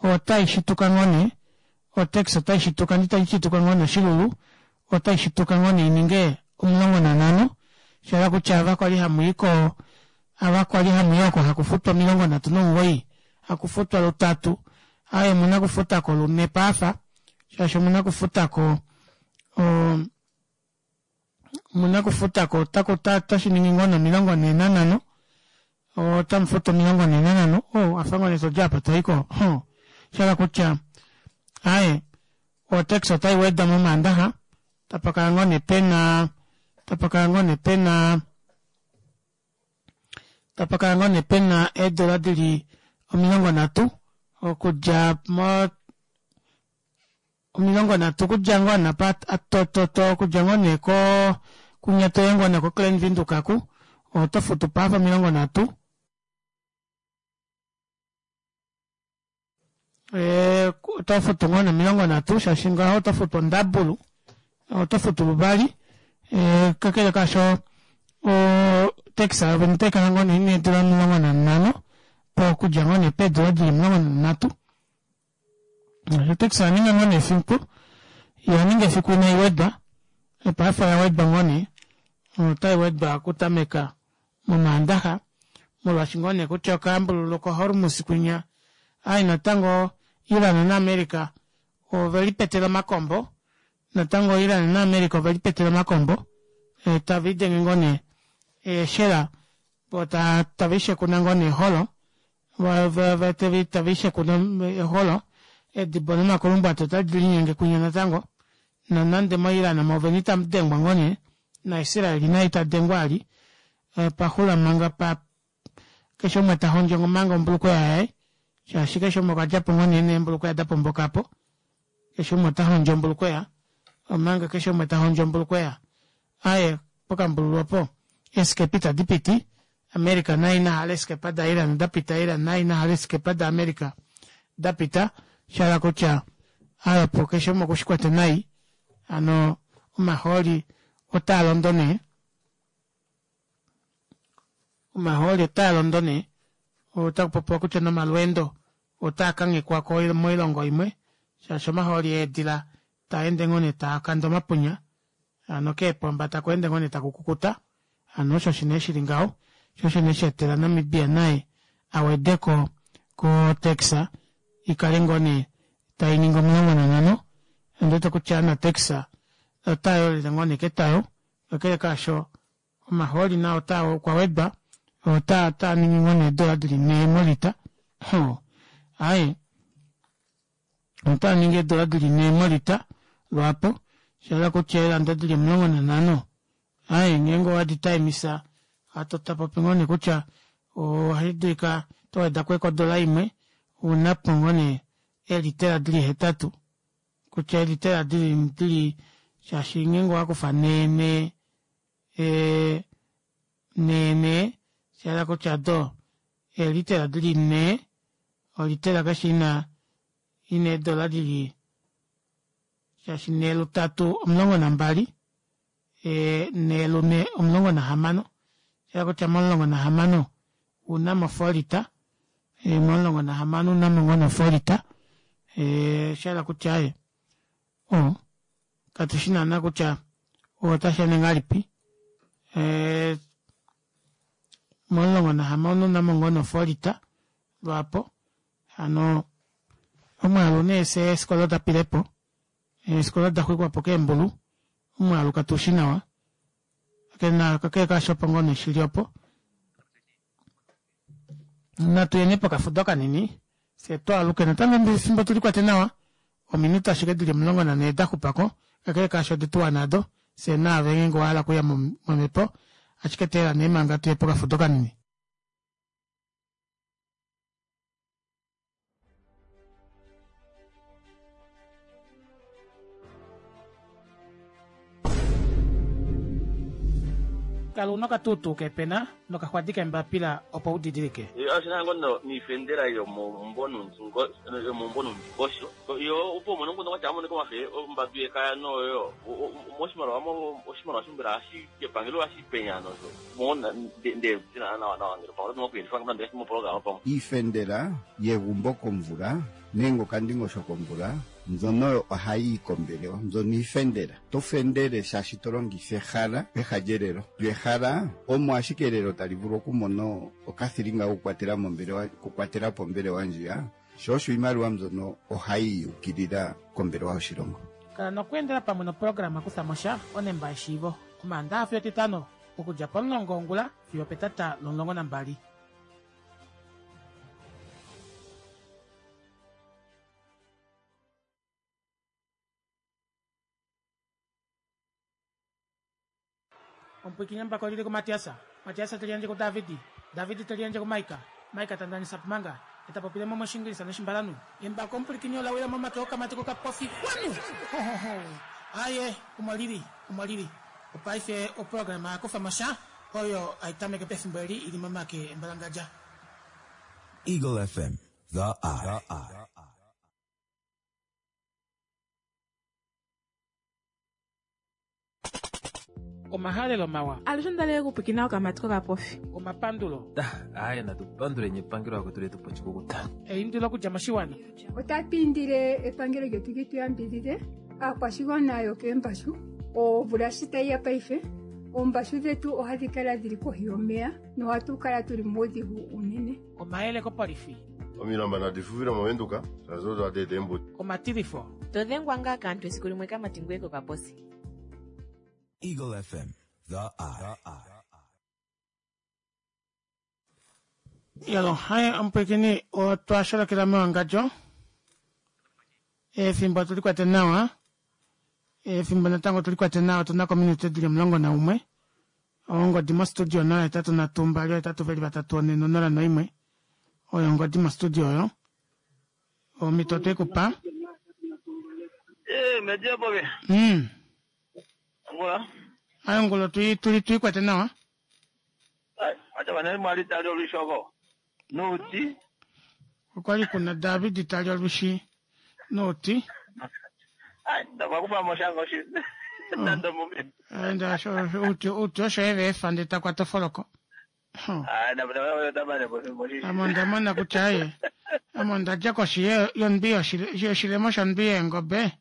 otai shituka ngoo nee otaxi otai shituka ndi tai shituka ngoo nee oshilulu otai shituka ngoo nee ininge 15 sha kutya ava kwali hamu i ko Ava kwali hamu i oko haku futwa 39, haku futwa lutatu, aaye omuna okufuta ko lune paafa, shaashi omuna okufuta ko omuna okufuta ko otaku otashi ningi ngoo nee 45, otamu futu 45, oh afa ngoo nee todi apa toyi ko, huh, sha hala kutya aaye otax otai wedwa momaandaxa, tapa kala ngoo nee pena, tapa kala ngoo nee pena. Tapa kala ngoo nee pena eedola dili 30 okudja mo 30 okudja ngoo napa to okudja ngoo nee ko kunya toye ngoo nee ko Klein Windhoek aku oto futu paafa 30. Eh, oto futu ngoo ne 30 shaashi ngaho oto futu ondabulu oto futu luvali eh, kakele kaasho otax yovene otai kala ngoo nee ina eedula 15 po okudja ngoo nee peedula dili 13 otax oya ninga ngoo nee efiku ya ninga efiku inai wedwa paife oya wedwa ngoo nee otai wedwa okutameka mOmaandaxa, molwaashi ngoo nee kutya okayambululo koHormuz kwinya ai natango Iran naAmerica ove lipetela omakombo, natango Iran naAmerica ove lipetela omakombo eh, tave lidenge ngoo nee eeshela vo tave ishekuna ngoo nee eholo tave ishekuna eholo edibo nomakulumbwati otadi linyenge kwinya natango nonande moIran movene itamu dengwa ngoo nee naIsrael naye ita dengwa ali eh, pa xula manga pa keshe umwe ta hondjo manga ombulukweya yaye shaashi keshe umwe okwa dja po ngoo nee neembulukweya da pomboka po keshe umwe ota hondjo ombulukweya omanga keshe umwe ta hondjo ombulukweya aye pokambululu opo eeskepa itadi piti. America naye ina hala eeskepa da Iran da pita Iran naye ina hala eeskepa da America da pita shahala kutya aapo keshe umwe okushikwete nai hano omahooli otaa londo nee omahooli otaa londo nee otaku popiwa kutya nomalweendo otaa kanghekwa moilongo imwe shaashi omahooli eedila taa ende ngoo nee taa kande omapunya hano keepomba taku ende ngoo nee taku kukuta hano osho shi nee shili ngaho sho osho nee sha etela Namibia naye a wedeko ko tax ikale ngoo nee tai ningi 15 ondi wete kutya na tax ota yolele ngoo nee ketayo kakele kaasho omahooli nao taa okwa wedwa otaa taa ningi ngoo nee eedola dili nhee molita hoo aaye otaa ningi eedola dili nhee molita lwaapo shahala kutya eelanda dili 15 aaye ngeenge owadi taimisa hatu tapopi ngoo nee kutya ohashi dulika toweda ko odola imwe unapo ngoo nee eelitela dili 8 kutya eelitela dili dili shaashi ngeenge owakufa nhee nhee ee nhee nhee shahala kutya do eelitela dili nhee olitela keshe ina ina eedola dili shaashi nhee lutatu 12 ee nhee lune 16 shahala kutya momulongo nahamano ounamo ofolita ee momulongo nahamano ounamo ngoo nee ofolita ee shahala kutya aaye o katushi naana kutya otashi ende ngahelipi ee momulongo nahamano ounamo ngoo nee ofolita lwaapo hano omwaalu nee fye eefikola odapilepo eefikola oda xwikwapo keembulu omwaalu katushi nawa kakele kaasho opo ngoo nee shili opo natu yeni pokafudo kanini fye twaaluke natango efimbo tulikwate nawa ominute ashike dili 14 daxupako kakele kaasho odetuwana ado fye naave ngeenge owahala okuya momhepo ashike teela nee manga tuye pokafudo kanini. Kala una okatuutuu kepena nokaxwadi kembapila opo u didilike. Oshina ngoo niifendela yomomumvo nomundingosho yo opo umone omunhu kwatya amonike omafe ombadu yekaya noyo moshimaliwa oshimaliwa mbela ohashi epangelo ohashi penya nosho Iifendela yegumbo komvula nenge okandingosho komvula mbyono oyo ohayi yi kombelewa mbyono iifendela. To fendele shaashi to longitha ehala peha lyelelo. Lyo ehala omo ashike elelo tali vulu okumona okathilinga kokukwatela mombelewa okukwatela po ombelewa ndjiya, sho osho iimaliwa mbyono ohayi yi ukilila kombelewa yoshilongo. Kala nokweendela pamwe noprograma Kutha mo sha onemba yeshiivo Omaandaha fiyo Etitano okudja pomulongo wongula fiyo opetata lomulongo nambali. Omupwikinyambako olili kuMatiasa, Matiasa te liyandje kuDavidi, Davidi te liyandje kuMaika, Maika ta ndanisa Pumanga, e ta popile mo mOshingilisa nOshimbalanhu. Embako omupwilikini ola wila momake okamati kokapofi xwanu! Hohoho! Aaye, omo lili, omo lili. Opaife oprograma ya kufa mo sha oyo hai tameke pefimbo eli i li momake embalangadja. Eagle FM, the eye. Omahalelo mawa. Alushe onda li okupwikina okamati kokapofi. Omapandulo. Aaye natu panduleni epangelo akwetu letu po oshikukuta. Eindilo okudja moshiwana. Otatu indile epangelo lyetu li tu yambidhidhe aakwashigwana yokeembashu omvula shi tayi ya paife oombashu dhetu ohadhi kala dhili kohi yomeya nohatu kala tuli muudhigu uunene. Omayele kopolifi. Omilamba nadi fufile moVenduka shaashi odo hadi eta eembudi. Omatilifo. To dhengwa ngaa kaantu esiku limwe kamati ngweye kokaposi. Eagle FM, the eye. Yalo, hai omupwikini otwa sholokela mewangadjo. Efimbo otuli kwate nawa. Efimbo natango otuli kwate nawa otuna kominute dili 11. Ongodi mostudio 083 2 8 4 0 1. Oyo ongodi mostudio oyo. Omhito otwe ku pa. Eh, media bobe. Ngula. Ayo ngulo tuli tuli tuli kwate nawa. Ai, acha Ndaba mwali tali olwishi oko. Nuuti. Okwali kuna David tali olwishi nuuti. Ai, ndaba kufa moshango shi. Nando mumi. Enda uti uti osho eve efa ndee takwata ofoloko. Ai, ndaba ndaba ndaba ndaba Ame onda mona kutya aye ame onda dja koshi yondwi yoshilemo shondwi yeengobe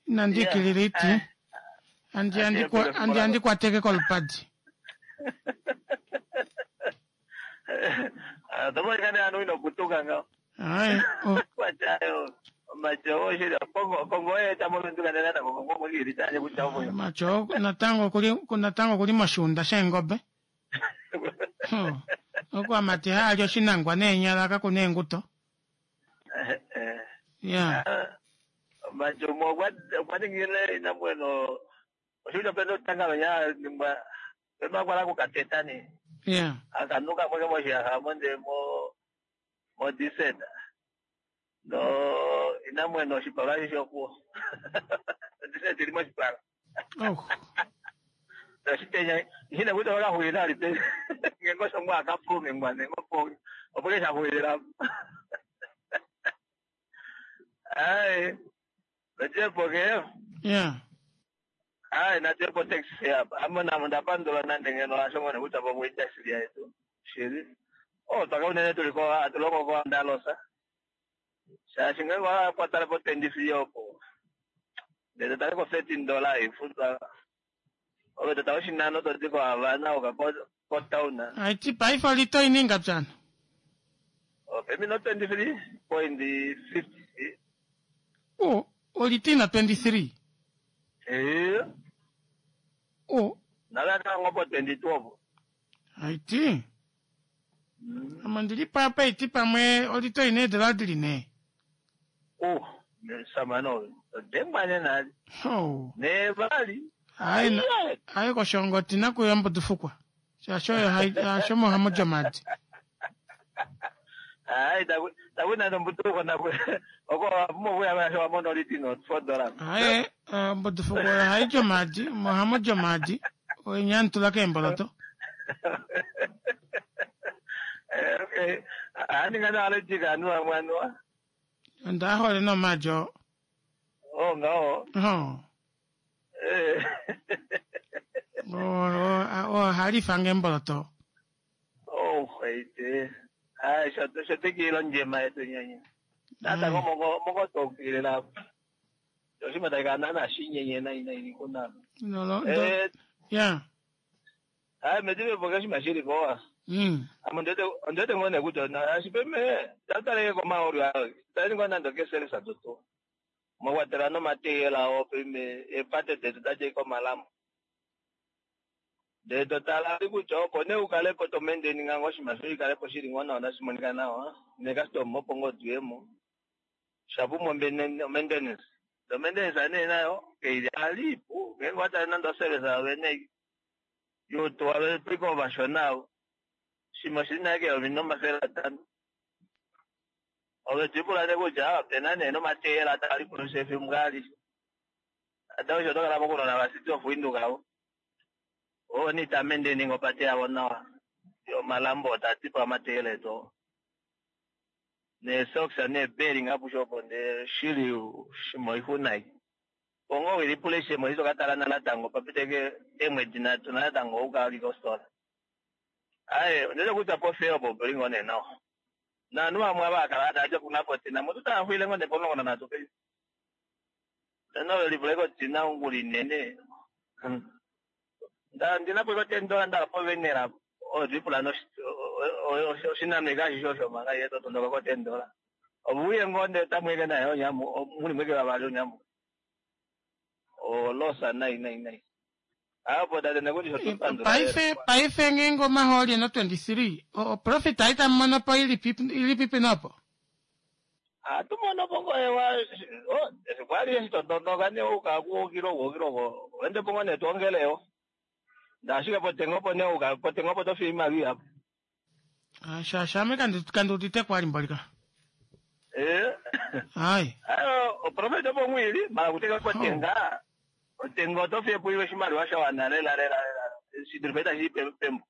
inandi ikilila iti andi andi andi kwateke kolupadi. Oto monika nee anu ino putuka ngaho. Ai, Kwatyayo omatyo oshili kongo kongo oye ta movenduka ndele natango kongo omwekili tanye kutya omo. Omatyo natango okuli natango okuli moshiunda sheengobe. Oku amati haali oshinangwa neenyala kakuna eenguto. Ya. Omatyo mo okwa ningile inamweno oshili opena otanga venya ningwa pema kwala kukateta ne. Ya. Akanuka mweke moshiyaha monde mo mo diseta. No inamweno oshipala shokuo. Diseta ili moshipala. Oh. Oshitenya hina kuta wakahuila alipe. Ngengo shongwa akapume ngwane ngopo. Opoke shahuila. Ai. Najepo ke. Ya. Ai najepo taxi hapa. Ama na ndapandula nande ngeno ashongone kuta po taxi yetu. Shiri. Oh, taka unene tuliko atuloko kwa ndalosa. Shaashi ngenge wakwatala po 23 opo. Ndele tali ko 13 dollar ifuta. Ove tata oshinano toti ko Havana oka ko town. Aiti paife olito ininga pyana. Pemino 23.50. Oh, olito ina 23. Eh. Oh. Nalaka ngopo 22 opo. Aiti. Ame ndili papa iti pamwe olito ine edola dili ne. Oh, samano. Dengwane na. Oh. Ne bali. Ai ai koshongo tina kuyombo tufukwa. Shasho yo hai asho mo hamo jomadi. Ai taku na mbutuko na oko mo vuya va sho mono litino 4 dollars. Ai mbutufukwa hai jomadi mo hamo jomadi. Oinyantula kemboloto. Okay. Ani ngana ale jika nuwa mwanwa. Onda hole no majo. Oh ngao. Oh. Eh. Oh, oh, halifa ngemboloto. Oh, ite. Ai, sho sho tekilo njema yetu nyenye. Tata ngo moko moko tokile la. Yoshima taika nana shinyenye na ina ili kuna. No no. Eh, Ya. ai medime boka shima shiri kowa. Amo ndete ndete ngone kuto na ashipeme tatale ko maori ayo. Tali ngona ndo keselesa toto. Mo kwatela no mateyela o pime epate tetu taje ko malamu. De totala kutya opo nee ukale po tomendeni ngango oshinima shoye ikale po shili ngoo nawa tashi monika nawa nekastoma opo ngoo tuyemo shapumbwa maintenance to maintenance nee nayo keili alipu ngenge watale nande oservice yovene yutuwa twika ovashona avo shimwe oshili naye keyovi 500. Ove twipula nee kutya opena nee nomateyela tali efimbo alishe ata osho tokala pokunona vasiti of Windhoek avo o ni tamende ngopate yavo nawa yo malambo tatipa amateyela etu ne socks ne bearing apushopo nde shili shimo ihunai pongo wilipula shimo iso katala natango papiteke emwedi nhatu natango ukalika ositola aye ndete kutya pofeyo po pelingo ne nawa nanu vamwe avakala ataja kuna potina mutu taahwile ngo nepomulongo nanhatu pe tena velipula kotina ongula inene nda ndinapo iko $10 ndala povenera odipula oshinamika ashishe osho manga ye totondoka ko $10 ovuye ngonde tamweke naye onyamu muli mweke vavali onyamu olosa nai nai nai apo tate nekuti shotupandula Paife paife ngenge omahooli eno 23. O profit aita mono po ilipi ilipi nopo. atumono pongo ewa kwali eshitotondoka ne uka kuokiloko okiloko wende pongo netwongeleyo ndashike potengo po ne uka potengo po tofi imali apo Ah, sha ame kandi kandi utite kwali mbolika. eh Ai. ayo oprofit opo mwili mala kuteka potenga otenga otofi epuiwe oshimaliwa sha wana lela lela lela shidulipeta shi pembo.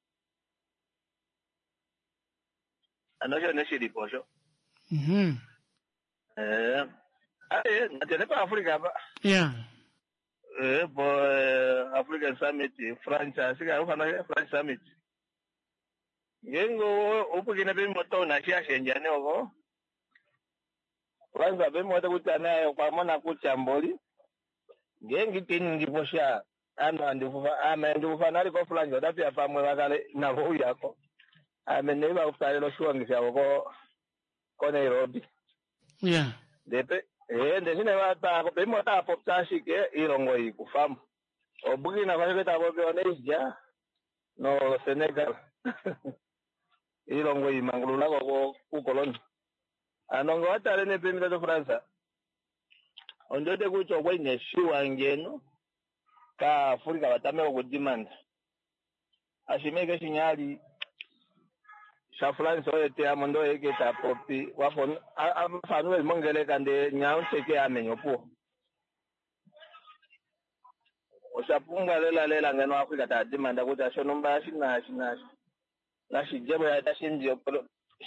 Ano osho nee shilipo osho. Eh, aye, natene pa Africa apa. Ya. Eh, po African Summit, France, ashike ufana French Summit. Ngeenge upukine pemimoto una shi ashendja ne oko. Kwanza pemimoto kutya naye okwa mona kutya mboli. Ngeenge ite ningi po sha ame andifufa ame andifufa nali ko France otapiya pamwe vakale navo uyako. Ame nei vakusalela oshiwangi shavo ko ko Nairobi. Ya. Ndepe eh ndeshine vatako pemimoto apopya ashike ilongo ikufamo. O Burkina Faso tapopi o Niger no Senegal. Ilongo imangulula ko kukoloni. Ano nga watale nepemita to France. Ondote kutya okwa ineshiwa ngeno ka Afrika vatameka okudimanda. Ashimeke shinyali sha France oye te amo ndo eke ta popi wafo afanu veli mongeleka nde nyauteke amenyo opuwo. Osha pumbwa lela lela ngeno Afrika ta dimanda kutya shonumba shina shina nashidjemo ya tashi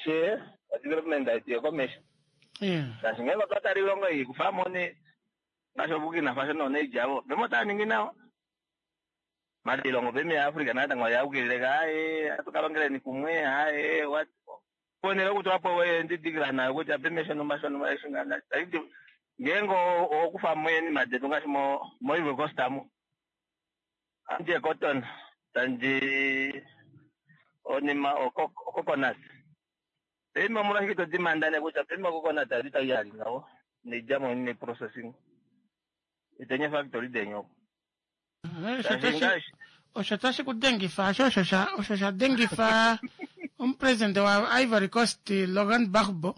she development aitiye komesho. Ya. Shaashi ngenge otwa tala ilongo ei kufamo ne ngaashi oBurkina Faso noNiger avo pemo otava ningi nawa. Mali ilongo pemi yaAfrica natango oyaukilile aye atukalongeleni kumwe aye what ponele okutulapo endidikila nayo kutya peme shonumba shonumba eshi ngana taiti ngeenge okufamo eenima detu ngaashi mo mo Ivory Coast amu andi cotton tandi onima ococonut pemi omolwashike to dimanda ne kutya pemi ococonut adi tai ali ngaho neidjamo ne processing itenye factory denyo Osho tashi ku dengifa osho osho sha osho sha dengifa omupresidente wa Ivory Coast Laurent Gbagbo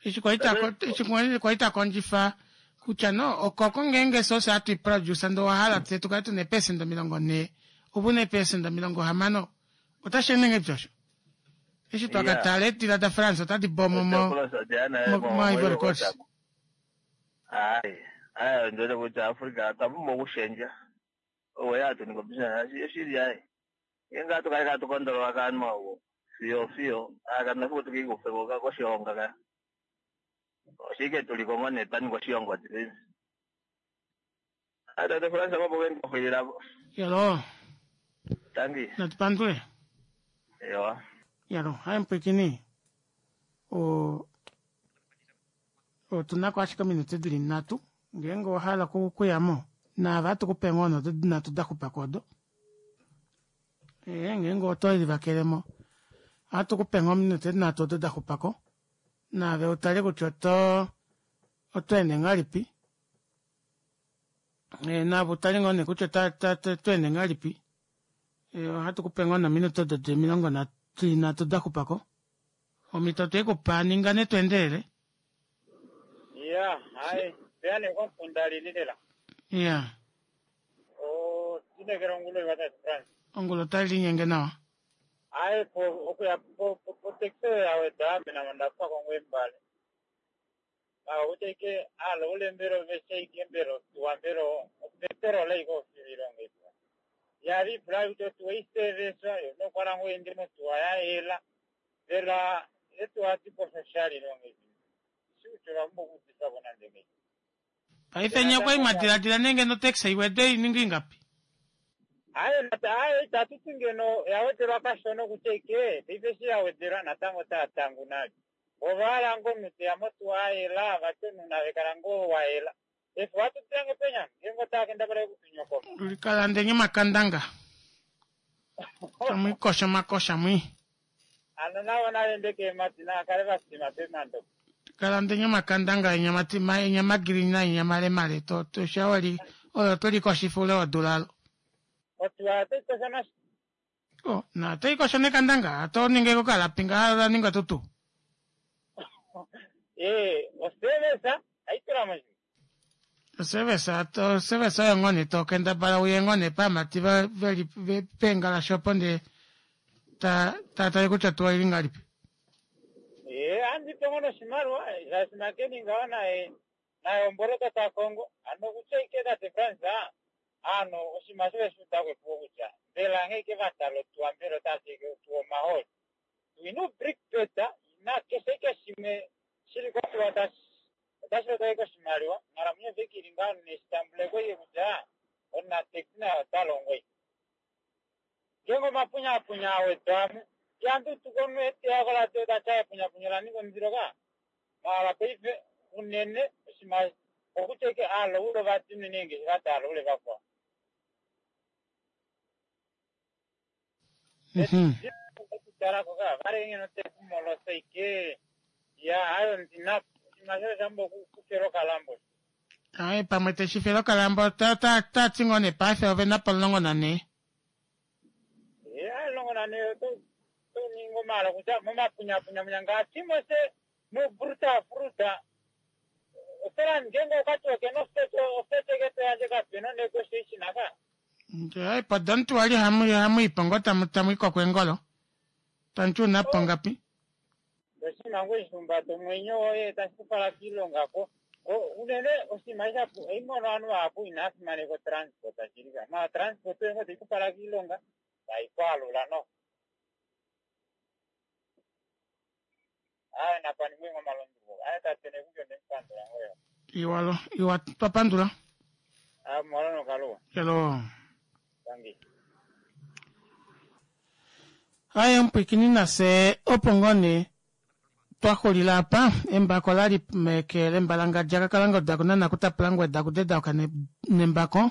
eshi kwali ta eshi kwali ta kondjifa kutya no okoko ngeenge sose hatu i produce ndee owa hala tse tukale tuna eepesenda 40 ove una eepesenda 60 otashi ende ngahelipi osho eshi twaka tala eedila da France otadi bomo mo mo Ivory Coast. Hayi hayi ndiwete kutya Africa otwa pumbwa okushendja owo ya hatu ningi obusiness oshili hayi ngeenge hatu kale katu kondolola kaanhu ovo fiyo fiyo akana fiku tukikufe ko koshihonga ka oshike tuliko ngoo nee twaninga oshihongo tili tate France mapo kendofwililapo. Yalo. Tangi. Natupandule. Ewa. Yalo, hai mpwikini. O otuna ko ashike ominute dili nhatu ngeenge owa hala okuyamo naave ohatu kupe ngoo odo nhatu da xupa ko odo. Ee, ngeenge oto livakelemo ohatu kupe ngoo ominute nhatu odo da xupa ko naave utale kutya oto oto ende ngahelipi. Ee, naave utale ngoo nee kutya oto ende ngahelipi. Ee, ohatu kupe ngoo nominute odo di 33 da xupa ko. Omhito otwe kupa ninga nee tweendelele. Ya, hai, peya nee komukunda lili lela. Ya. O, tinekela ongulo iwa tate France. Ongulo otai linyenge nawa. Hai, po, okuya po, po, po taxi ya weda ame namo ndapako ngoo embale. Mava kutya ike, alo ule mbelo veshe ike mbelo, tuwa mbelo, opetrol ike ofililongo ipo. Yali ipula kutya otuwa iseveswa, yo nokwala ngoo ende motuwa ya yela. Mbela etuwa tipo oshali longo ipo. Shi kutya ovapumbwa okuudifako nande ngei. Paife nye okwali mwadiladila nee ngeno otaxi iwede ininge ingapi? Aye, nata aye itatu ti ngeno ya wedelwa kashona kutya ike paife eshi ya wedelwa natango otaya tangu nale. Ova hala ngoo omunhu teya motuwa ayela vati omunhu nave kala ngoo wayela. Efu ohatu tile ngoo penya ngeenge otava kendabala okutunyokoma. Likalandeni omakandanga. Tamwiikosha omakosha mwi. Ano navo navende keemadi nava kale vasima pemando. Kalandeni omakandanga enya mati enya magirini naenya malemale to to shawali oyo tolikoshifa ule wodula alo. Otuwa otai kosha nasho. Oh, na otai kosho nekandanga ato ninge kokalapi ngaha la ninga tutu. Ee, osevesa aitula mo Osevesa osevesa oyo ngoo nee to kendabala uye ngoo nee paamati veli peengalashe opo ndee ta ta tale kutya tuwa ili ngahelipi. Ee, andi pe ngoo noshimaliwa shaashi makeni ngaho naye naye omboloto ta kongo ano kutya ike tate France ano oshinima osho veshi uda ko epuko kutya mbela nghee ike vatala otuwa mbela otati ike otuwa omahooli. ina ubrickbed ina keshe ike shimwe shili kotuwa otashi lota ike oshimaliwa. Onghalamwenyo ove ili ngaho neshitambuleko ike kutya omunatekisi naye ota longo ike. Ngeenge omapunyapunya a wedwa mo, ihandi tuku omunhu eteya koradio ta ti epunyapunya ola ninga omundilo ka. Maala paife unene oshinima okutya ike aalaule ovadi unene eengeshefa daalaule vakwao. Okutalako ka vale ngeno te ku molosa ike ya ayo ndina oshinima shoye shambo okufela okalambo. Aye pamwe te shi fele okalambo ta ta ta ti ngoo nee paife ove na po14. Ye aye 14 oto to ningi omala kutya momapunyapunya ngaashi mose mubruta fruta ofela ngeenge okati okena ofete ofete ke to yandje kapena negotiation aka. Aye podomuntu wali hamu hamu ipo ngoo tamu tamu i kokwengolo. Tamu ti una po ngapi? Oshinima ngoo eshi humbata omwenyo woye tashi ku fala kiilonga ko unene oshinima shapu oimono ovanhu vahapu inaa fimaneka otransport shili ka ma transport oyo ngoo tai ku fala kiilonga tai ku alula no aye napaningwe ngoo omalunduluko aye tate Nekundi onde mupandula ngoo yo Iwalo, iwa twa pandula. aye mwalo nokaluwa Hello. tangi Aye omupwikini nase opo ngoo nee twa xulila apa embako la li meke lembalangadja kakalangoda kunana kutapula ngweda kudedauka nembako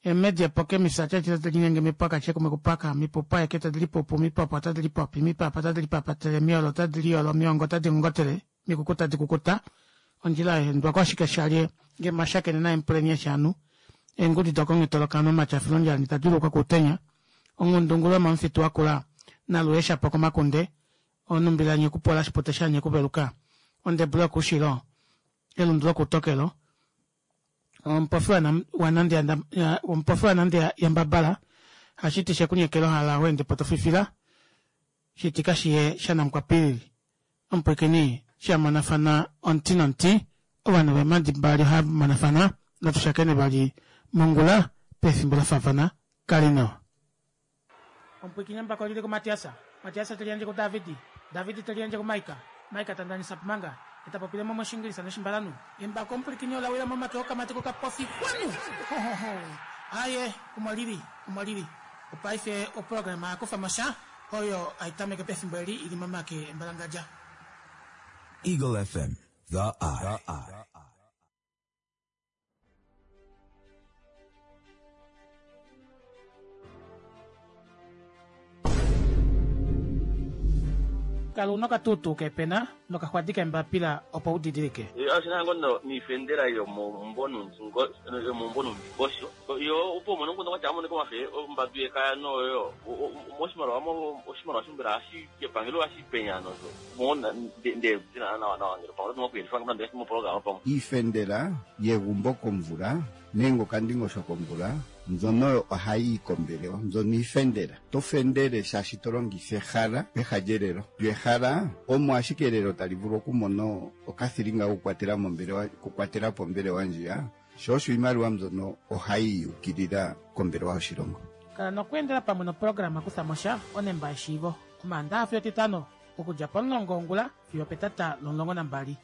emedi epoke misatya tadi linyenge mipwaka chekumwe kupwaka mipupu aeke tadi lipupu mipopo otadi lipopi mipapa otadi lipapatele miolo otadi liyolo miongo otadi ngongotele mikuku tadi kukuta ondjila yaendwa koshike shalye nge mashakene naye mpuleni eshanu eengudi dokonghetolokano omatyafilondjani tadi ulukwa kuutenya onghundungulu yomomufitu wakula nalueshapo komakunde onumbila nyekupola shipute shanyekuveluka ondebulu yokuushilo elundu lokuutokelo omupofi omupofi wanande yambabala hashiti shekunyekela ohala weende po tofifila shiti kashiye shanamukwapilili omupwikini shamonafana omuti nomuti ovanhu veemadi mbali ohava monafana natu shakene vali mongula pefimbo lafaafana kali nawa. Omupwikini embako lili kuMatiasa, Matiasa te liyandje kuDavidi, Davidi te liyandje kuMaika, Maika ta ndanisa pumanga, ye ta popile mo mOshingilisa nOshimbalanhu. Embako omupwilikini ola wila momake okamati kokapofi xwanu! Hohoho! Aaye, omo lili, omo lili. Opaife oprograma ya kufa mo sha, oyo hai tameke pefimbo eli i li momake embalangadja. Eagle FM, the eye. Kala una okatuutuu kepena nokaxwadi kembapila opo u didilike. Oshina ngo niifendela yomomumvo nuundingosho yo opo umone omukundu kwatya amonike omafe ombadu yekaya noyo moshimaliwa oshimaliwa shombela hashi epangelo hashi penya nosho mo nde dina nawa nawa ngele pamwe oto okuyelifa ngame moprograma pamwe. Iifendela yegumbo komvula nenge okandingosho komvula mbyono oyo ohayi yi kombelewa mbyono iifendela. To fendele shaashi to longitha ehala peha lyelelo. Lyo ehala omo ashike elelo tali vulu okumona okathilinga kokukwatela mombelewa okukwatela po ombelewa ndjiya, sho osho iimaliwa mbyono ohayi yukilila kombelewa yoshilongo. Kala nokweendela pamwe noprograma Kutha mo sha, Onemba yeshiivo, Omaandaha fiyo Etitano, okudja pomulongo wongula fiyo opetata lomulongo nambali.